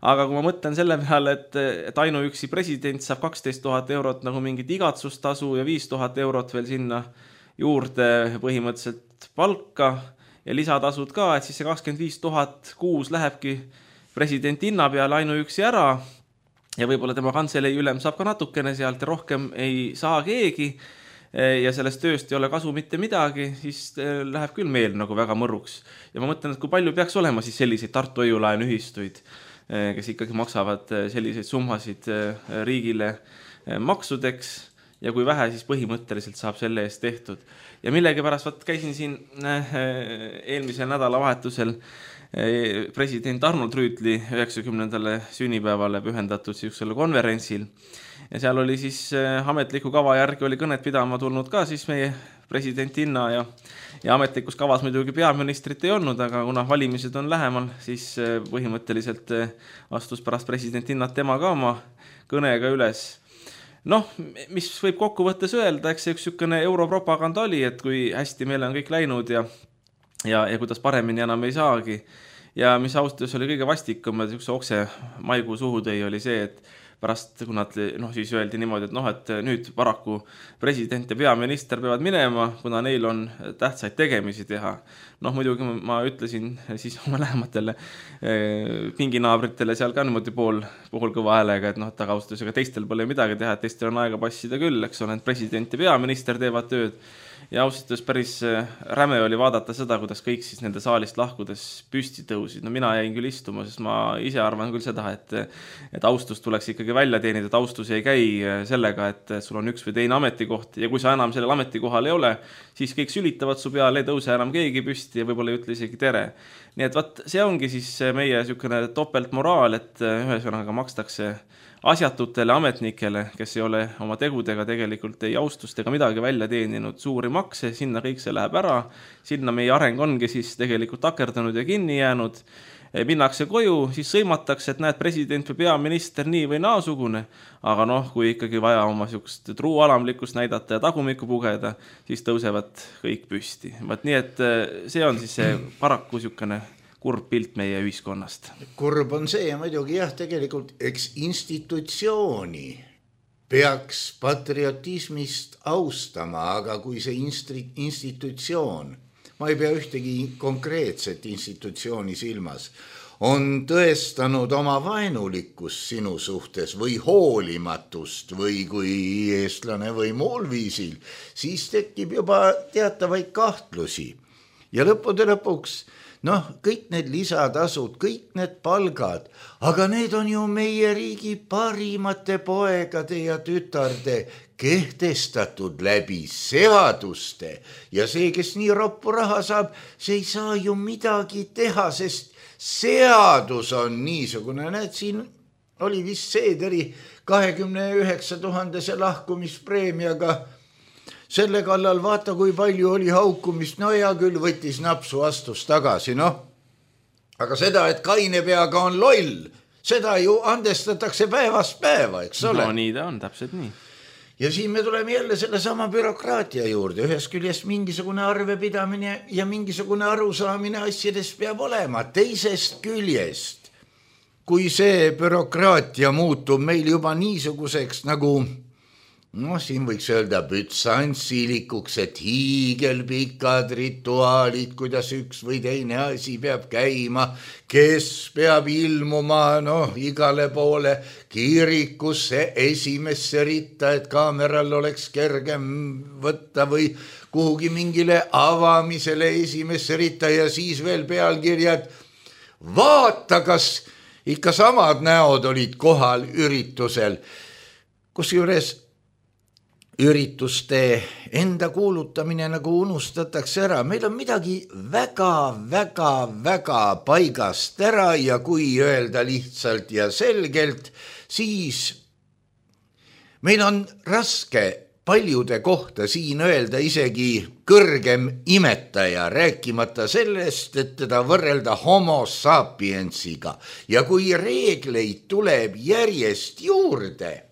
Speaker 5: Aga kui ma mõtlen selle peale, et ainuüksi president saab 12 000 eurot nagu mingit igatsustasu ja 5 000 eurot veel sinna juurde põhimõtteliselt palka ja lisatasud ka, et siis see 25 000 kuus lähebki president hinna peale ainuüksi ära ja võib-olla tema kantselei ülem saab ka natukene sealt ja rohkem ei saa keegi ja sellest tööst ei ole kasu mitte midagi, siis läheb küll meel nagu väga mõruks. Ja ma mõtlen, et kui palju peaks olema siis selliseid Tartu hoiulaenuühistuid, kes ikkagi maksavad selliseid summasid riigile maksudeks ja kui vähe siis põhimõtteliselt saab selle eest tehtud. Ja millegipärast käisin siin eelmisel nädalavahetusel president Arnold Rüütli 90. sünnipäevale pühendatud sellisele konverentsil. Ja seal oli siis ametliku kava järgi oli kõnet pidama tulnud ka siis meie presidentinna ja ametlikus kavas muidugi peaministrit ei olnud, aga kuna valimised on lähemal, siis põhimõtteliselt astus pärast presidentinat tema ka oma kõnega üles. Mis võib kokkuvõttes öelda, eks see üks sükene europropaganda oli, et kui hästi meil on kõik läinud ja kuidas paremini enam ei saagi. Ja mis austus oli kõige vastikum, et üks okse maikuu suhu tõi, oli see, et pärast, kui nad siis öeldi niimoodi, et nüüd paraku president ja peaminister peavad minema, kuna neil on tähtsaid tegemisi teha. Muidugi ma ütlesin siis oma lähematele pinginaabritele seal ka niimoodi pool kõva häälega, et tagaustusega teistel pole midagi teha, et teistel on aega passida küll, eks ole, et president ja peaminister teevad tööd. Ja ausalt päris räme oli vaadata seda, kuidas kõik siis nende saalist lahkudes püsti tõusid. Mina jäin küll istuma, sest ma ise arvan küll seda, et austus tuleks ikkagi välja teenida, et austus ei käi sellega, et sul on üks või teine ametikoht ja kui sa enam sellel ametikohal ei ole, siis kõik sülitavad su peale, ei tõuse enam keegi püsti ja võib-olla ei ütle isegi tere. Nii et see ongi siis meie sükene topeltmoraal, et ühesõnaga makstakse asjatutele ametnikele, kes ei ole oma tegudega tegelikult ei austust ega midagi välja teeninud suuri makse, sinna kõik see läheb ära, sinna meie areng ongi siis tegelikult takerdunud ja kinni jäänud, minnakse koju, siis sõimatakse, et näed president või peaminister nii või naasugune, aga kui ikkagi vaja oma sükest truualamlikkust näidata ja tagumikku pugeda, siis tõusevad kõik püsti. Nii et see on siis see paraku sükene kurb pilt meie ühiskonnast.
Speaker 3: Kurb on see ja muidugi tegelikult eks institutsiooni peaks patriotismist austama, aga kui see institutsioon, ma ei pea ühtegi konkreetset institutsiooni silmas, on tõestanud oma vaenulikkust sinu suhtes või hoolimatust või kui eestlane või muul viisil, siis tekib juba teatavaid kahtlusi. Ja lõppude lõpuks kõik need lisatasud, kõik need palgad, aga need on ju meie riigi parimate poegade ja tütarde kehtestatud läbi seaduste ja see, kes nii roppu raha saab, see ei saa ju midagi teha, sest seadus on niisugune, näed, siin oli vist Seederi 29 000 lahkumispreemiaga. Selle kallal vaata, kui palju oli haukumist, ja küll võttis napsu, astus tagasi, Aga seda, et kaine peaga on loll, seda ju andestatakse päevast päeva, eks ole?
Speaker 5: Nii ta on, täpselt nii.
Speaker 3: Ja siin me tuleme jälle selle sama bürokraatia juurde, ühest küljest mingisugune arvepidamine ja mingisugune arusaamine asjades peab olema, teisest küljest, kui see bürokraatia muutub meil juba niisuguseks nagu siin võiks öelda bütsansilikuks, et hiigelpikad rituaalid, kuidas üks või teine asi peab käima, kes peab ilmuma igale poole kirikusse esimesse ritta, et kaameral oleks kergem võtta või kuhugi mingile avamisele esimesse ritta ja siis veel pealkirjad. Vaata, kas ikka samad näod olid kohal üritusel, kusjuures ürituste enda kuulutamine nagu unustatakse ära. Meil on midagi väga paigast ära ja kui öelda lihtsalt ja selgelt, siis meil on raske paljude kohta siin öelda isegi kõrgem imetaja, rääkimata sellest, et teda võrrelda homo sapiensiga. Ja kui reegleid tuleb järjest juurde,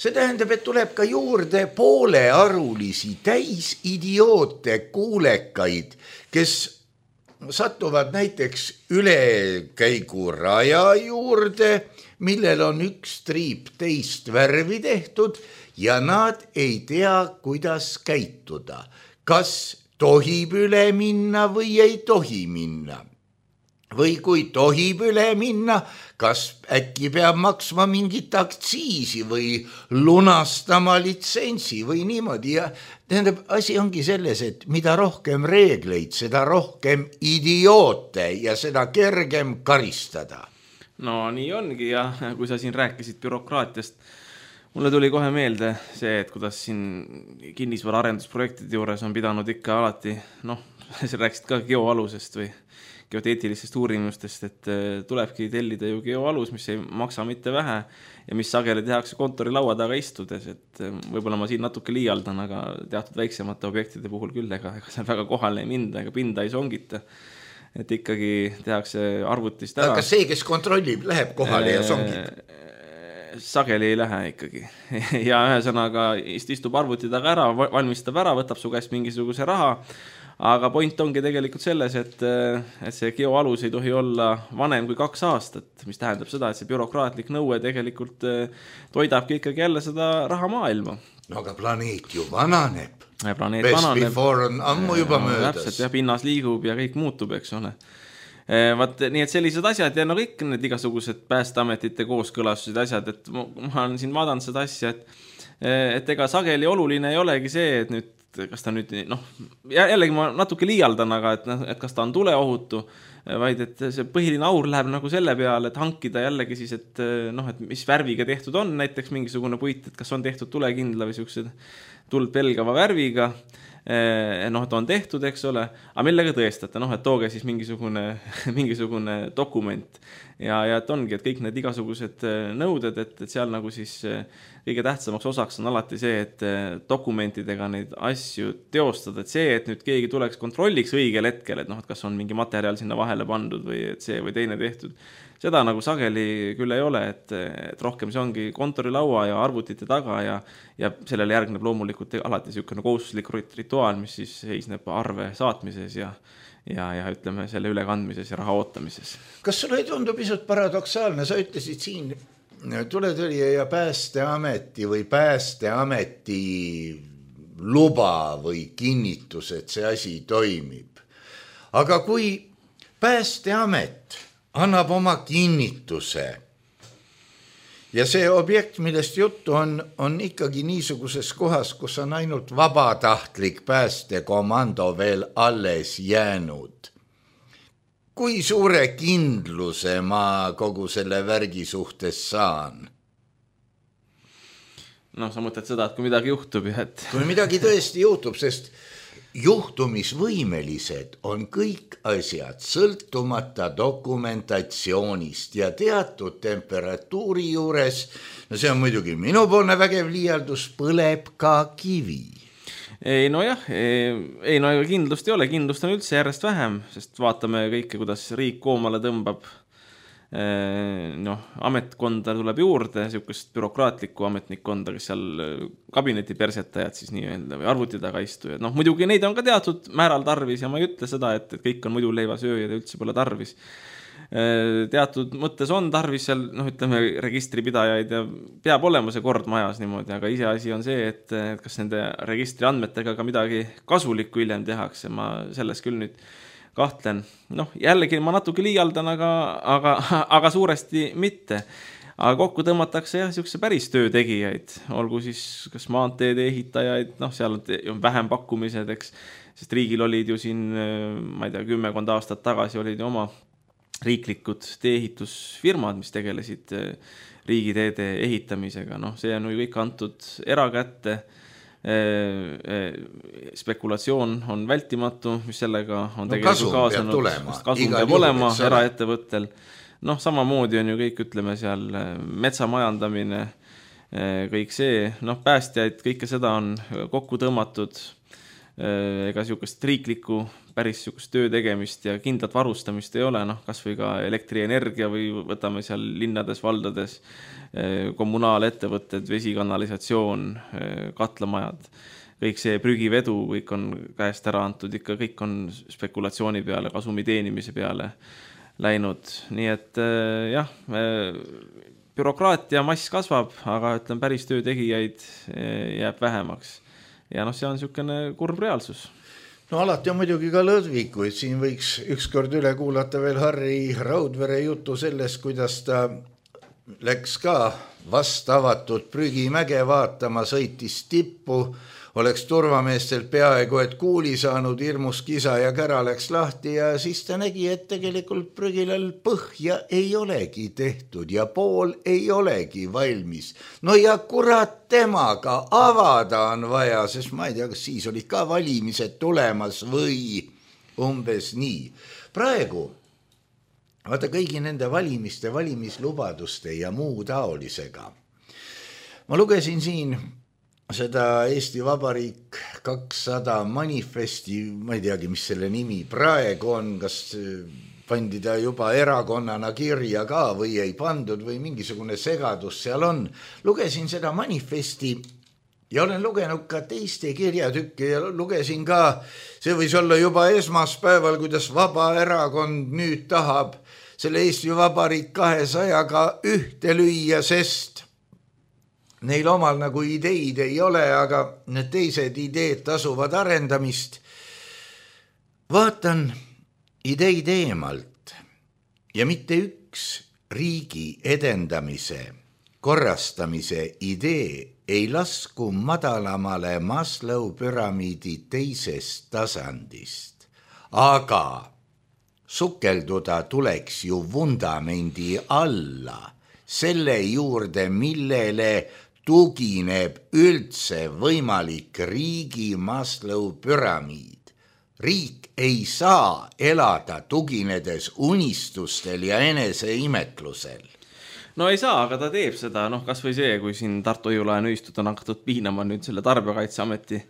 Speaker 3: see tähendab, et tuleb ka juurde poolearulisi täis idioote kuulekaid, kes satuvad näiteks ülekäiguraja juurde, millel on üks triip teist värvi tehtud ja nad ei tea, kuidas käituda. Kas tohib üle minna või ei tohi minna? Või kui tohib üle minna, kas äkki peab maksma mingit aktsiisi või lunastama litsentsi või niimoodi. Ja tähendab, asi ongi selles, et mida rohkem reegleid, seda rohkem idioote ja seda kergem karistada.
Speaker 5: Nii ongi ja kui sa siin rääkisid bürokraatiast, mulle tuli kohe meelde see, et kuidas siin kinnisvara arendusprojektide juures on pidanud ikka alati, sa rääkisid ka geoalusest või geoteetilistest uurimustest, et tulebki tellida ju geoalus, mis ei maksa mitte vähe ja mis sageli tehakse kontori laua taga istudes, et võib-olla ma siin natuke liialdan, aga teatud väiksemate objektide puhul küll, ega seal väga kohale ei minda, ega pinda ei songita, et ikkagi tehakse arvutist ära.
Speaker 3: Aga see, kes kontrollib, läheb kohale ja songib?
Speaker 5: Sageli ei lähe ikkagi. Ja ühesõnaga istub arvuti taga ära, valmistab ära, võtab su käest mingisuguse raha, aga point ongi tegelikult selles, et see geoalus ei tohi olla vanem kui 2 aastat, mis tähendab seda, et see bürokraatlik nõue tegelikult toidabki ikkagi jälle seda rahamaailma.
Speaker 3: No aga planeet ju vananeb.
Speaker 5: Planeet
Speaker 3: Best
Speaker 5: vananeb.
Speaker 3: Before on ammu juba möödas.
Speaker 5: Täpselt, ja pinnas liigub ja kõik muutub, eks ole. Nii et sellised asjad ja kõik need igasugused päästeametite kooskõlastused asjad, et ma olen siin vaadanud seda asja, et ega sageli oluline ei olegi see, et nüüd kas ta nüüd, jällegi ma natuke liialdan, aga et kas ta on tuleohutu, vaid et see põhiline aur läheb nagu selle peale, et hankida jällegi siis, et mis värviga tehtud on, näiteks mingisugune puit, et kas on tehtud tulekindla või siuksed tuld pelgava värviga, et on tehtud, eks ole, aga millega tõestate, et tooge siis mingisugune dokument ja et ongi, et kõik need igasugused nõuded, et seal nagu siis kõige tähtsamaks osaks on alati see, et dokumentidega neid asju teostada, et see, et nüüd keegi tuleks kontrolliks õigel hetkel, et kas on mingi materjal sinna vahele pandud või et see või teine tehtud, seda nagu sageli küll ei ole, et rohkem see ongi kontorilaua ja arvutite taga ja sellele järgneb loomulikult alati niisugune kohustuslik rituaal, mis siis seisneb arve saatmises ja ütleme selle ülekandmises ja raha ootamises.
Speaker 3: Kas sulle ei tundu pisut paradoksaalne? Sa ütlesid siin tuletõrje ja päästeameti või päästeameti luba või kinnitus, et see asi toimib. Aga kui päästeamet annab oma kinnituse ja see objekt, millest juttu on ikkagi niisuguses kohas, kus on ainult vabatahtlik päästekomando veel alles jäänud. Kui suure kindluse ma kogu selle värgi suhtes saan?
Speaker 5: Sa mõtled seda, et kui midagi juhtub ja et...
Speaker 3: Kui midagi tõesti juhtub, sest juhtumisvõimelised on kõik asjad sõltumata dokumentatsioonist ja teatud temperatuuri juures, see on muidugi minupoolne vägev liialdus, põleb ka kivi.
Speaker 5: Kindlust ei ole, kindlust on üldse järjest vähem, sest vaatame kõike, kuidas riik koomale tõmbab. Ametkonda tuleb juurde, niisugust bürokraatlikku ametnikkonda, kes seal kabineti persetajad siis nii-öelda või arvuti taga istujad. Muidugi neid on ka teatud määral tarvis ja ma ei ütle seda, et kõik on muidu leivasööjad ja üldse pole tarvis. Teatud mõttes on tarvis seal, ütleme, registripidajaid ja peab olema see kord majas niimoodi, aga iseasi on see, et kas nende registri andmetega ka midagi kasulikku hiljem tehakse. Ma selles küll nüüd kahtlen. Jällegi ma natuke liialdan, aga suuresti mitte. Aga kokku tõmmatakse niisuguse päris töötegijaid, olgu siis kas maanteede ehitajaid, seal on vähem pakkumised, eks, sest riigil olid ju siin, ma ei tea, 10 aastat tagasi olid ju oma riiklikud tee-ehitusfirmad, mis tegelesid riigiteede ehitamisega. See on ju kõik antud erakätte. Spekulatsioon on vältimatu, mis sellega on tegelikult kaasanud. Kasum peab olema eraettevõttel. Samamoodi on ju kõik, ütleme seal, metsamajandamine, kõik see, päästjaid, kõike seda on kokku tõmmatud, ega niisugust riiklikku päris niisugust töö tegemist ja kindlat varustamist ei ole, kas või ka elektrienergia või võtame seal linnades, valdades, kommunaalettevõtted, vesikanalisatsioon, katlamajad, kõik see prügivedu, kõik on käest ära antud, ikka kõik on spekulatsiooni peale, kasumi teenimise peale läinud. Nii et bürokraatia mass kasvab, aga ütlen, päris töötegijaid jääb vähemaks. Ja see on niisugune kurb reaalsus.
Speaker 3: Alati on muidugi ka lõdvikuid, siin võiks ükskord üle kuulata veel Harri Raudvere jutu sellest, kuidas ta läks ka vast avatud prügimäge vaatama, sõitis tippu, oleks turvameestel peaaegu et kuuli saanud, hirmus kisa ja kära läks lahti ja siis ta nägi, et tegelikult prügilal põhja ei olegi tehtud ja pool ei olegi valmis. Ja kurat temaga avada on vaja, sest ma ei tea, kas siis olid ka valimised tulemas või umbes nii. Praegu vaata kõigi nende valimiste, valimislubaduste ja muu taolisega. Ma lugesin siin seda Eesti Vabariik 200 manifesti, ma ei teagi, mis selle nimi praegu on, kas pandi ta juba erakonnana kirja ka või ei pandud või mingisugune segadus seal on. Lugesin seda manifesti ja olen lugenud ka teiste kirjatükke ja lugesin ka, see võis olla juba esmaspäeval, kuidas Vabaerakond nüüd tahab selle Eesti Vabariik 200-ga ühte lüüa, sest neil omal nagu ideid ei ole, aga need teised ideed tasuvad arendamist. Vaatan ideid eemalt ja mitte üks riigi edendamise, korrastamise idee ei lasku madalamale Maslow püramiidi teisest tasandist, aga sukelduda tuleks ju vundamendi alla, selle juurde, millele tugineb üldse võimalik riigi Maslow püramiid. Riik ei saa elada tuginedes unistustel ja eneseimetlusel.
Speaker 5: No ei saa, aga ta teeb seda, kas või see, kui siin Tartu Hoiulaen ühistud on hakatud piinama nüüd selle Tarbijakaitseameti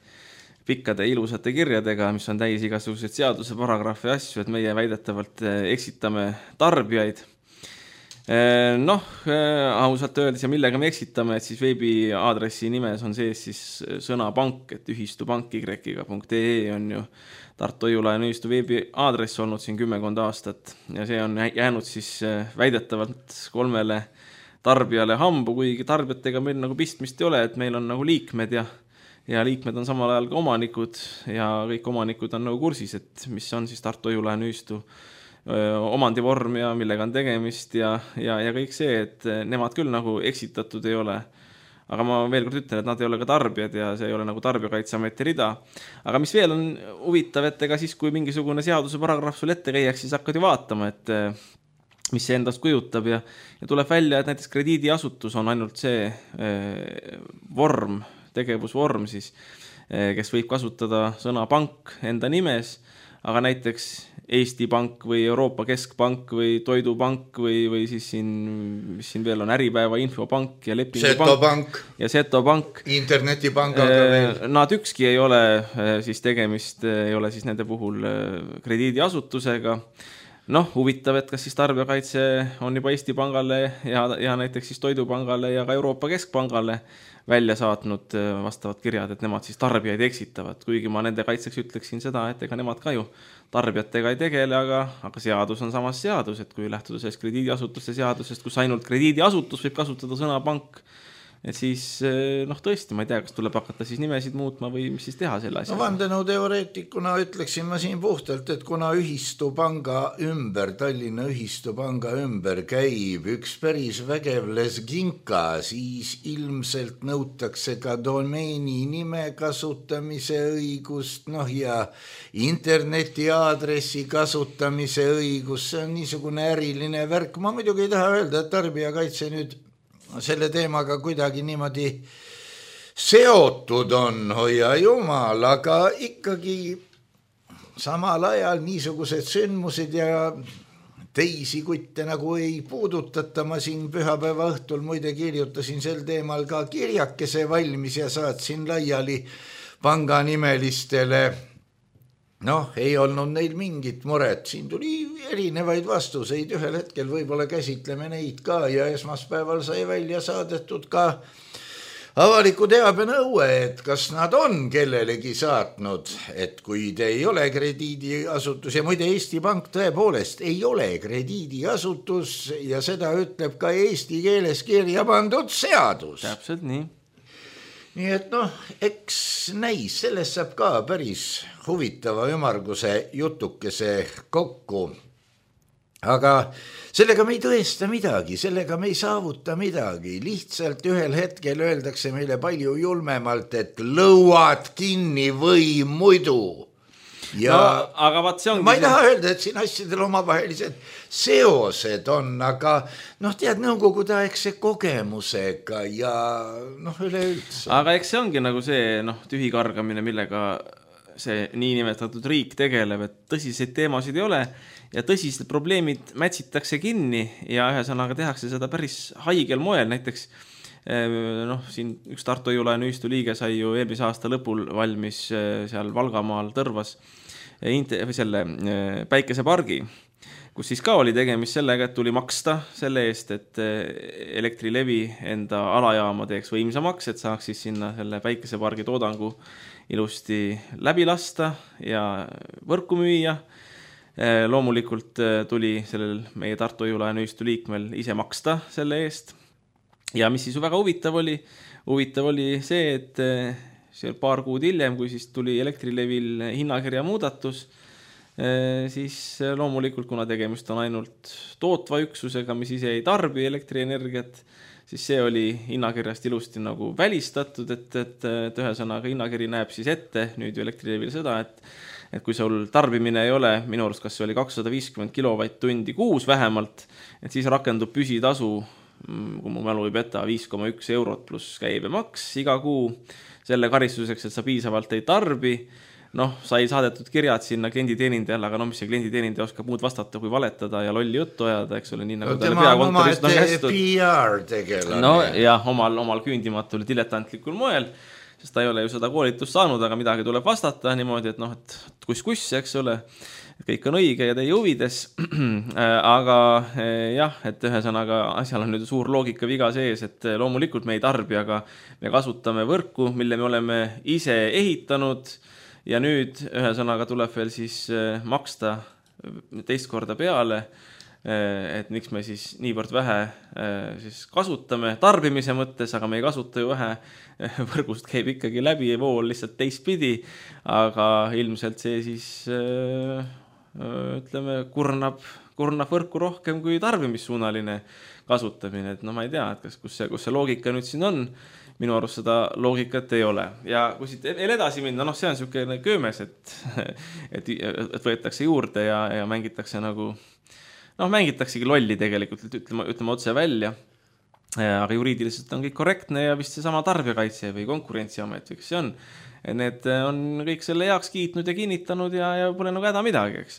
Speaker 5: pikkade ilusate kirjadega, mis on täis igasuguseid seaduse paragrahvi asju, et meie väidetavalt eksitame tarbijaid. Ausalt öeldes ja millega me eksitame, et siis veebiaadressi nimes on sees siis sõna pank, et ühistupank.y.ee on ju Tartu Hoiulaen ühistu veebiaadress olnud siin 10 aastat ja see on jäänud siis väidetavalt 3 tarbijale hambu, kuigi tarbijatega meil nagu pistmist ei ole, et meil on nagu liikmed ja liikmed on samal ajal ka omanikud ja kõik omanikud on nagu kursis, et mis on siis Tartu Hoiulaen ühistu omandivorm ja millega on tegemist ja kõik see, et nemad küll nagu eksitatud ei ole. Aga ma veel kord ütlen, et nad ei ole ka tarbijad ja see ei ole nagu Tarbijakaitseameti rida. Aga mis veel on huvitav, et ega siis, kui mingisugune seaduse paragrahv sul ette käiaks, siis hakkad ju vaatama, et mis see endast kujutab ja tuleb välja, et näiteks krediidiasutus on ainult see vorm, tegevusvorm siis, kes võib kasutada sõna pank enda nimes, aga näiteks Eesti Pank või Euroopa Keskpank või Toidupank või siis mis siin veel on Äripäeva Infopank ja Lepingupank ja Setopank.
Speaker 3: Internetipangaga veel.
Speaker 5: Nad ükski ei ole siis tegemist, ei ole siis nende puhul krediidiasutusega. Huvitav, et kas siis Tarbijakaitse on juba Eesti Pangale ja näiteks siis Toidupangale ja ka Euroopa Keskpangale välja saatnud vastavad kirjad, et nemad siis tarbijaid eksitavad, kuigi ma nende kaitseks ütleksin seda, et ega nemad ka ju tarbijatega ei tegele, aga seadus on samas seadus, et kui lähtuda sellest krediidiasutuste seadusest, kus ainult krediidiasutus võib kasutada sõna pank, et siis tõesti, ma ei tea, kas tuleb hakata siis nimesid muutma või mis siis teha selle asja.
Speaker 3: Vandenõuteoreetikuna ütleksin ma siin puhtalt, et kuna ühistupanga ümber, Tallinna ühistupanga ümber käib üks päris vägev lesginka, siis ilmselt nõutakse ka domeeni nime kasutamise õigust, ja internetiaadressi kasutamise õigust, see on niisugune äriline värk. Ma muidugi ei taha öelda, et Tarbijakaitse nüüd selle teemaga kuidagi niimoodi seotud on, hoia jumal, aga ikkagi samal ajal niisugused sündmused ja teisi kutte nagu ei puudutata. Ma siin pühapäeva õhtul muide kirjutasin sel teemal ka kirjakese valmis ja saatsin laiali panganimelistele. Ei olnud neil mingit muret, siin tuli erinevaid vastuseid, ühel hetkel võib-olla käsitleme neid ka ja esmaspäeval sai välja saadetud ka avaliku teabenõue, et kas nad on kellelegi saatnud, et kui te ei ole krediidiasutus ja muide Eesti Pank tõepoolest ei ole krediidiasutus ja seda ütleb ka eesti keeles kirja pandud seadus.
Speaker 5: Täpselt nii.
Speaker 3: Nii et eks näis, sellest saab ka päris huvitava ümarguse jutukese kokku. Aga sellega me ei tõesta midagi, sellega me ei saavuta midagi. Lihtsalt ühel hetkel öeldakse meile palju julmemalt, et lõuad kinni või muidu.
Speaker 5: Aga vaat see ongi
Speaker 3: ma ei taha öelda, et siin asjadel omavahelised seosed on, aga tead, nõukogudeaegse kogemusega ja üleüldse.
Speaker 5: Aga eks see ongi nagu see tühikargamine, millega see niinimetatud riik tegeleb, et tõsiseid teemasid ei ole ja tõsised probleemid mätsitakse kinni ja ühesõnaga tehakse seda päris haigel moel. Näiteks siin üks Tartu Hoiulaen ühistu liige sai ju eelmise aasta lõpul valmis seal Valgamaal Tõrvas selle päikesepargi, kus siis ka oli tegemist sellega, et tuli maksta selle eest, et Elektrilevi enda alajaama teeks võimsamaks, et saaks siis sinna selle päikesepargi toodangu ilusti läbi lasta ja võrku müüa. Loomulikult tuli sellel meie Tartu Hoiu-laenuühistu liikmel ise maksta selle eest. Ja mis siis väga huvitav oli see, et seal paar kuud hiljem, kui siis tuli Elektrilevil hinnakirja muudatus, siis loomulikult, kuna tegemist on ainult tootva üksusega, mis ise ei tarbi elektrienergiat, siis see oli hinnakirjast ilusti nagu välistatud, et ühesõnaga hinnakiri näeb siis ette nüüd ju Elektrilevil seda, et kui sul tarbimine ei ole, minu arust kas see oli 250 kilovatt-tundi kuus vähemalt, et siis rakendub püsitasu, kui mu mälu ei peta, 5,1 eurot pluss käibemaks iga kuu selle karistuseks, et sa piisavalt ei tarbi. Sai saadetud kirjad sinna klienditeenindajale, aga mis see klienditeenindaja oskab muud vastata, kui valetada ja lolli juttu ajada, eks ole, nii nagu talle peakontorist on kästud.
Speaker 3: PR tegelane.
Speaker 5: Jah, omal küündimatul diletantlikul moel, sest ta ei ole ju seda koolitust saanud, aga midagi tuleb vastata niimoodi, et kus, eks ole, kõik on õige ja teie huvides, aga jah, et ühesõnaga asjal on nüüd suur loogika viga sees, et loomulikult me ei tarbi, aga me kasutame võrku, mille me oleme ise ehitanud ja nüüd ühesõnaga tuleb veel siis maksta teist korda peale, et miks me siis niivõrd vähe siis kasutame tarbimise mõttes, aga me ei kasuta ju vähe, võrgust käib ikkagi läbi vool lihtsalt teistpidi, aga ilmselt see siis ütleme, kurnab võrku rohkem kui tarbimissuunaline kasutamine, et ma ei tea, et kus see loogika nüüd siin on, minu arust seda loogikat ei ole. Ja kui siit veel edasi minna, see on selline köömes, et võetakse juurde ja mängitakse nagu, mängitaksegi lolli tegelikult, ütleme otse välja, aga juriidiliselt on kõik korrektne ja vist see sama tarbijakaitse või konkurentsiamet, eks see on. Need on kõik selle heaks kiitnud ja kinnitanud ja pole nagu häda midagi, eks.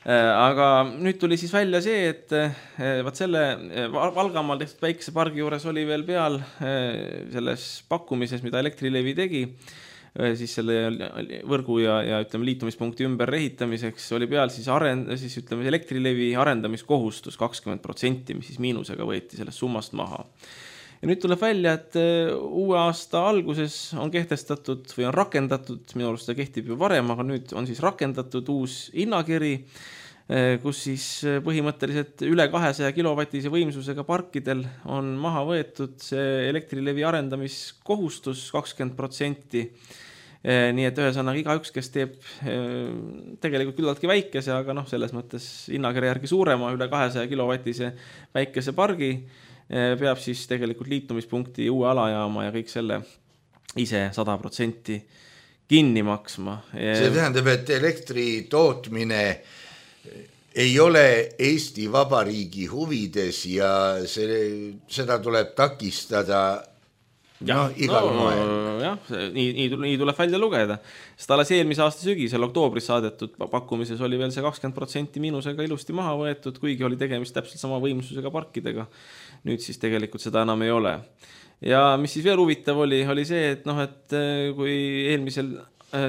Speaker 5: Aga nüüd tuli siis välja see, et vaat selle Valgamaal tehtud päikesepargi juures oli veel peal selles pakkumises, mida Elektrilevi tegi, siis selle võrgu ja ütleme liitumispunkti ümber ehitamiseks oli peal siis ütleme Elektrilevi arendamiskohustus 20%, mis siis miinusega võeti sellest summast maha. Ja nüüd tuleb välja, et uue aasta alguses on kehtestatud või on rakendatud, minu arust see kehtib ju varem, aga nüüd on siis rakendatud uus hinnakiri, kus siis põhimõtteliselt üle 200 kilovatise võimsusega parkidel on maha võetud see Elektrilevi arendamiskohustus 20%. Nii et ühesõnaga igaüks, kes teeb tegelikult küllaltki väikese, aga selles mõttes hinnakirja järgi suurema, üle 200 kilovatise päikesepargi, peab siis tegelikult liitumispunkti uue alajaama ja kõik selle ise 100% kinni maksma.
Speaker 3: See tähendab, et elektri tootmine ei ole Eesti Vabariigi huvides ja seda tuleb takistada igal moel.
Speaker 5: Jah, nii tuleb välja lugeda. Sest alles eelmise aasta sügisel oktoobris saadetud pakkumises oli veel see 20% miinusega ilusti maha võetud, kuigi oli tegemist täpselt sama võimsusega parkidega. Nüüd siis tegelikult seda enam ei ole. Ja mis siis veel huvitav oli see, et kui eelmisel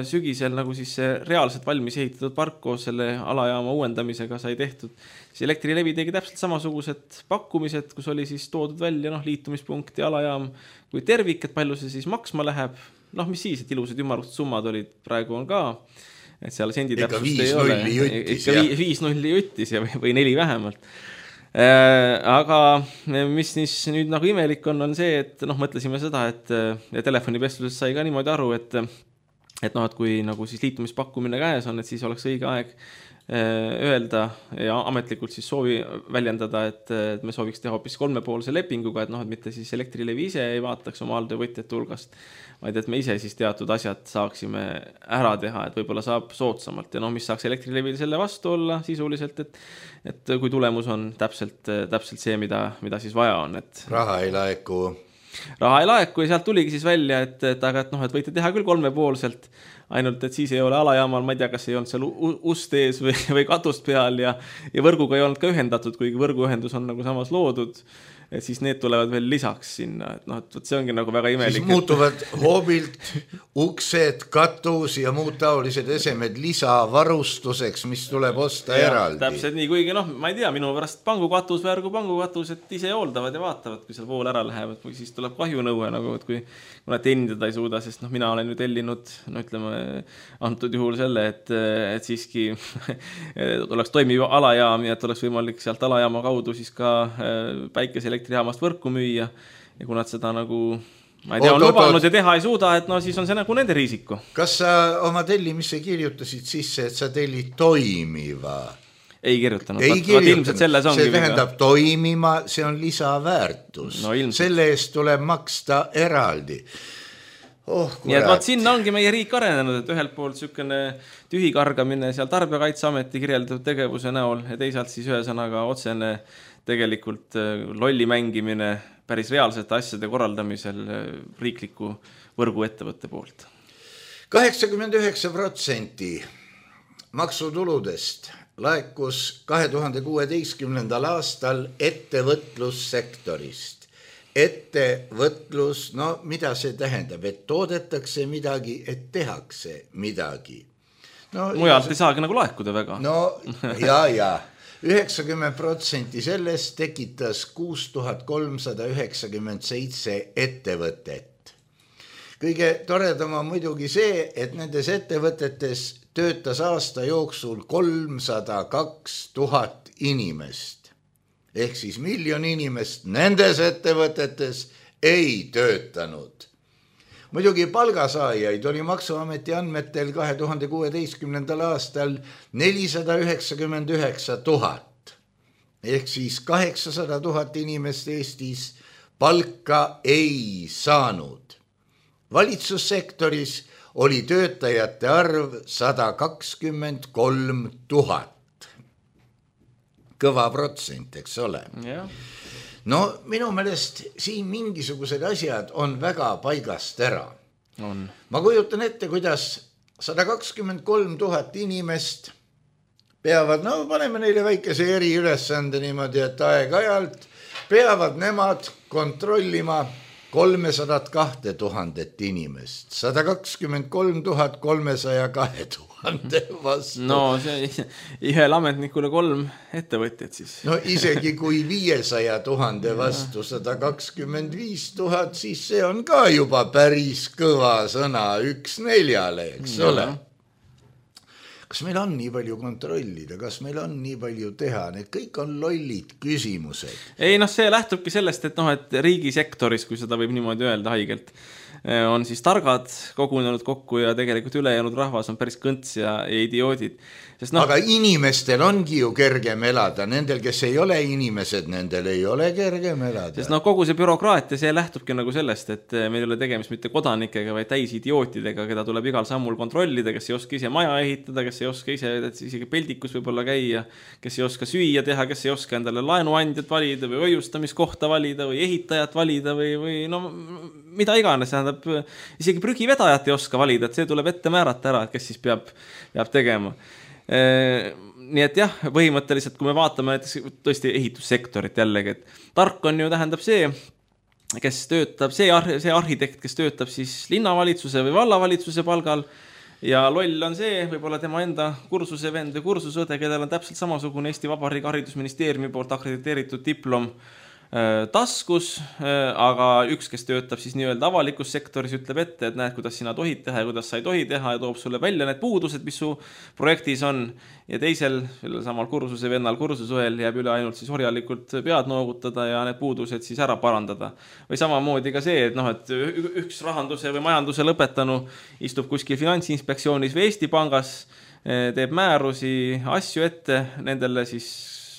Speaker 5: sügisel nagu siis see reaalselt valmis ehitatud park koos selle alajaama uuendamisega sai tehtud, siis Elektrilevi tegi täpselt samasugused pakkumised, kus oli siis toodud välja liitumispunkti alajaam kui tervik, et palju see siis maksma läheb. Mis siis, et ilusad ümmargused summad olid, praegu on ka, et seal sendi täpsust ei ole. Ikka 5-0 jutis või 4 vähemalt. Aga mis nüüd nagu imelik on see, et mõtlesime seda, et telefonipestluses sai ka niimoodi aru, et kui nagu siis liitumispakkumine käes on, et siis oleks õige aeg öelda ja ametlikult siis soovi väljendada, et me sooviks teha hoopis 3-poolse lepinguga, et mitte siis Elektrilevi ise ei vaataks oma alltöövõtjate hulgast, vaid et me ise siis teatud asjad saaksime ära teha, et võib-olla saab soodsamalt ja mis saaks Elektrilevil selle vastu olla sisuliselt, et kui tulemus on täpselt see, mida siis vaja on.
Speaker 3: Raha ei laeku
Speaker 5: ja sealt tuligi siis välja, et võite teha küll 3-poolselt, ainult et siis ei ole alajaamal, ma ei tea, kas ei olnud seal ust ees või katust peal ja võrguga ei olnud ka ühendatud, kuigi võrguühendus on nagu samas loodud. et siis need tulevad veel lisaks sinna, et noh, et see ongi nagu väga imelik.
Speaker 3: Siis muutuvad hoobilt uksed, katus ja muud taolised esemed lisavarustuseks, mis tuleb osta eraldi.
Speaker 5: Täpselt nii, kuigi noh, ma ei tea, minu pärast pangukatus, värgu pangukatus, et ise hooldavad ja vaatavad, kui seal vool ära läheb, et siis tuleb kahjunõue nagu, et kui nad teenindada ei suuda, sest noh, mina olen ju tellinud, no ütleme, antud juhul selle, et siiski oleks toimiv alajaam ja et oleks võimalik sealt alajaama kaudu siis ka päikeseelektrijaamast võrku müüa ja kui nad seda nagu, ma ei tea, on lubanud ja teha ei suuda, et no siis on see nagu nende riisiku.
Speaker 3: Kas sa oma tellimisse kirjutasid sisse, et sa tellid toimiva?
Speaker 5: Ei kirjutanud. Ilmselt selles ongi.
Speaker 3: See tähendab toimima, see on lisaväärtus.
Speaker 5: No,
Speaker 3: selle eest tuleb maksta eraldi.
Speaker 5: Nii et vaat sinna ongi meie riik arenenud, et ühelt poolt sükene tühikargamine seal Tarbijakaitseameti kirjeldatud tegevuse näol ja teisalt siis ühesõnaga otsene tegelikult lolli mängimine päris reaalsete asjade korraldamisel riikliku võrguettevõtte poolt. 89%
Speaker 3: maksutuludest laekus 2016. aastal ettevõtlussektorist. Ettevõtlus, no mida see tähendab, et toodetakse midagi, et tehakse midagi.
Speaker 5: No, mujalt ei saagi nagu laekuda väga.
Speaker 3: No ja 90% sellest tekitas 6397 ettevõtet. Kõige toredam on muidugi see, et nendes ettevõtetes töötas aasta jooksul 302 000 inimest. Ehk siis 1 000 000 inimest nendes ettevõtetes ei töötanud. Muidugi palgasaajaid oli Maksuameti andmetel 2016. aastal 499 000. Ehk siis 800 000 inimest Eestis palka ei saanud. Valitsussektoris oli töötajate arv 123 000. Kõva protsent, eks ole.
Speaker 5: Ja.
Speaker 3: No minu meelest siin mingisugused asjad on väga paigast ära.
Speaker 5: On.
Speaker 3: Ma kujutan ette, kuidas 123 000 inimest peavad, no paneme neile väikese eriülesande niimoodi, et aeg-ajalt peavad nemad kontrollima 302 000 inimest, 123 302 000 vastu.
Speaker 5: No see ühel ametnikule 3 ettevõtjat siis.
Speaker 3: No isegi kui 500 000 vastu 125 000, siis see on ka juba päris kõva sõna 1/4, eks ole. Kas meil on nii palju kontrollida, kas meil on nii palju teha, need kõik on lollid küsimused.
Speaker 5: Ei, noh, see lähtubki sellest, et, et riigisektoris, kui seda võib niimoodi öelda haigelt, on siis targad kogunenud kokku ja tegelikult ülejäänud rahvas on päris kõnts ja idioodid. Sest
Speaker 3: aga inimestel ongi ju kergem elada, nendel, kes ei ole inimesed, nendel ei ole kergem elada.
Speaker 5: Sest kogu see bürokraatia, see lähtubki nagu sellest, et meil ei ole tegemist mitte kodanikega, vaid täis idiootidega, keda tuleb igal sammul kontrollida, kes ei oska ise maja ehitada, kes ei oska ise isegi peldikus võib-olla käia, kes ei oska süüa teha, kes ei oska endale laenuandjat valida või hoiustamiskohta valida või ehitajat valida või no mida iganes, tähendab, isegi prügivedajat ei oska valida, et see tuleb ette määrata ära, et kes siis peab tegema. Nii et jah, põhimõtteliselt, kui me vaatame näiteks tõesti ehitussektorit jällegi, et tark on ju tähendab see, kes töötab, see arhitekt, kes töötab siis linnavalitsuse või vallavalitsuse palgal ja loll on see, võib-olla tema enda kursusevend või kursusõde, kellel on täpselt samasugune Eesti Vabariigi Haridusministeeriumi poolt akrediteeritud diplom taskus, aga üks, kes töötab siis nii-öelda avalikus sektoris, ütleb ette, et näed, kuidas sina tohid teha ja kuidas sa ei tohi teha ja toob sulle välja need puudused, mis su projektis on ja teisel, samal kursuse vennal kursusõel jääb üle ainult siis orjalikult pead noogutada ja need puudused siis ära parandada. Või samamoodi ka see, et et üks rahanduse või majanduse lõpetanu istub kuskil Finantsinspektsioonis või Eesti Pangas, teeb määrusi, asju ette nendele siis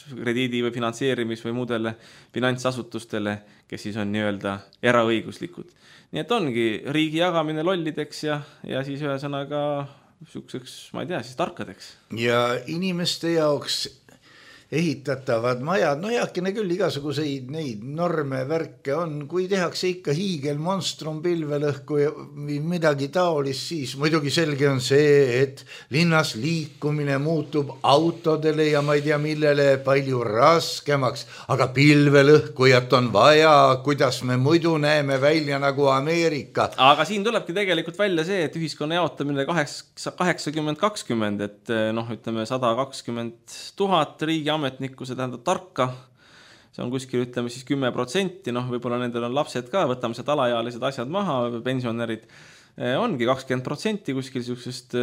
Speaker 5: krediidi või finantseerimis või muudele finantsasutustele, kes siis on nii-öelda eraõiguslikud. Nii et ongi riigi jagamine lollideks ja siis ühesõnaga sükkseks, ma ei tea, siis tarkadeks.
Speaker 3: Ja inimeste jaoks ehitatavad majad, no heakene küll igasuguseid neid norme värke on, kui tehakse ikka hiigel monstrum pilvelõhku või midagi taolist, siis muidugi selge on see, et linnas liikumine muutub autodele ja ma ei tea millele palju raskemaks, aga pilvelõhkujat on vaja, kuidas me muidu näeme välja nagu Ameerika.
Speaker 5: Aga siin tulebki tegelikult välja see, et ühiskonna jaotamine 80-20, et noh, ütleme 120 000 riigi ametnikku, see tähendab tarka, see on kuskil ütleme siis 10%, noh võib-olla nendel on lapsed ka, võtame sealt alaealised asjad maha, pensionärid, ongi 20% kuskil sellisest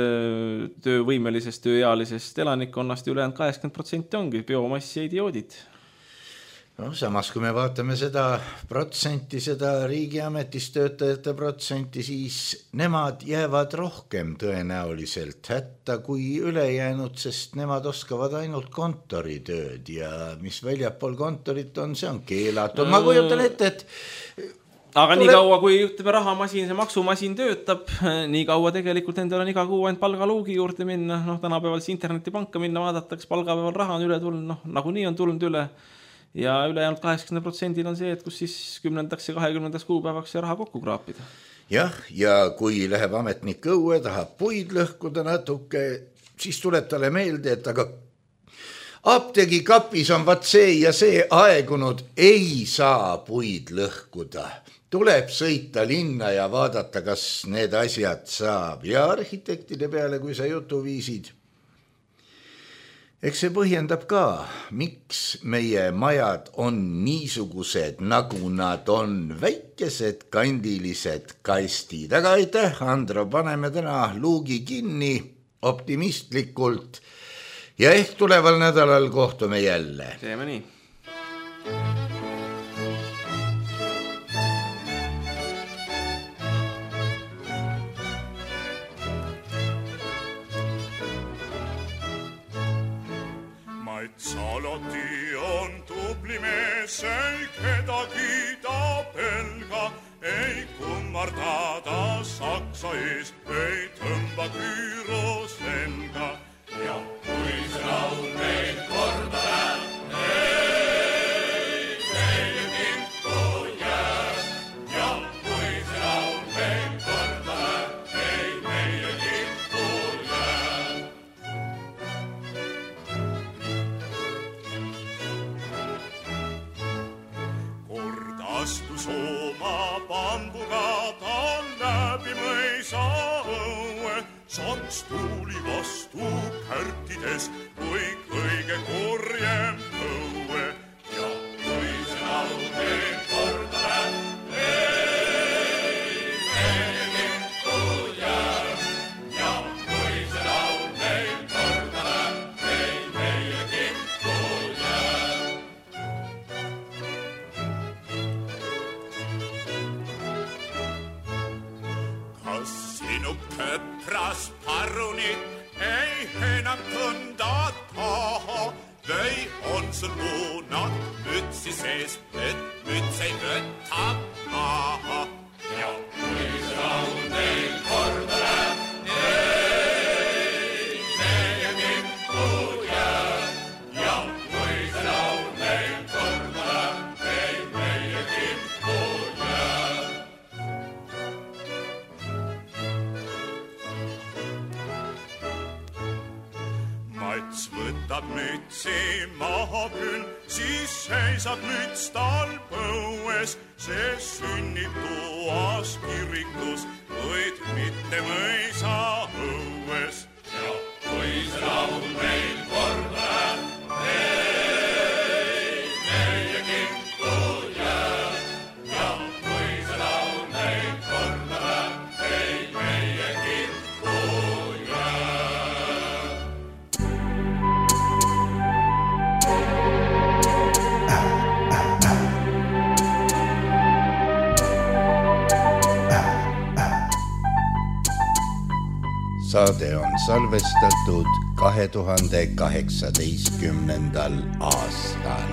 Speaker 5: töövõimelisest, tööealisest elanikkonnast ja ülejäänud 80% ongi biomassi ja idioodid.
Speaker 3: No, samas, kui me vaatame seda protsenti, seda riigiametis töötajate protsenti, siis nemad jäävad rohkem tõenäoliselt hätta kui ülejäänud, sest nemad oskavad ainult kontoritööd ja mis väljapool kontorit on, see on keelatud. Ma kujutan ette, et
Speaker 5: aga nii kaua, kui ütleme rahamasin, see maksumasin töötab, nii kaua tegelikult endal on iga kuu ainult palgaluugi juurde minna, noh tänapäeval siis internetipanka minna, vaadatakse palgapäeval raha on üle tulnud, noh nagunii on tulnud üle. Ja ülejäänud 80% on see, et kus siis 10. ja 20. kuupäevaks see raha kokku kraapida.
Speaker 3: Jah, ja kui läheb ametnik õue, tahab puid lõhkuda natuke, siis tuleb talle meelde, et aga apteegi kapis on vaat see ja see aegunud, ei saa puid lõhkuda. Tuleb sõita linna ja vaadata, kas need asjad saab. Ja arhitektide peale, kui sa jutu viisid, eks see põhjendab ka, miks meie majad on niisugused, nagu nad on, väikesed kandilised kastid. Aga aitäh, Andro, paneme täna luugi kinni optimistlikult ja ehk tuleval nädalal kohtume jälle.
Speaker 5: Teeme nii.
Speaker 6: Saloti on tubli mees, ei kedagi ta pelga, ei kummarda ta saksa ees, ei tõmba küüro selga. Ja kui see laul meil korda läheb, ei meile kintu jääb. Ja kui see laul meil korda läheb, ei meile kintu jääb. Astus oma pambuga ta läbi mõisa õue, saks tuuli vastu kärtides kui kõige kurjem õue. Ja kui see laul meil korda läheb, ei meile kintu jääb. Ja kui see laul meil korda läheb, ei meile kintu jääb. Sinu köpras parunit ei enam tunda taha, või on sul muunad mütsi sees, et müts ei võta maha. Ja kui see laul meil korda läheb, ei meie kintu jääb. Ja kui see laul meil korda läheb, ei meie kintu jääb. Mats võtab mütsi maha küll, siis seisab müts tal põues. See sünnib toas kirikus, kuid mitte mõisa õues. Ja kui see laul meil korda läheb, ei meie kintu jääb. Ja kui see laul meil korda läheb, ei meie kintu jääb.
Speaker 3: Saade on salvestatud 2018. aastal.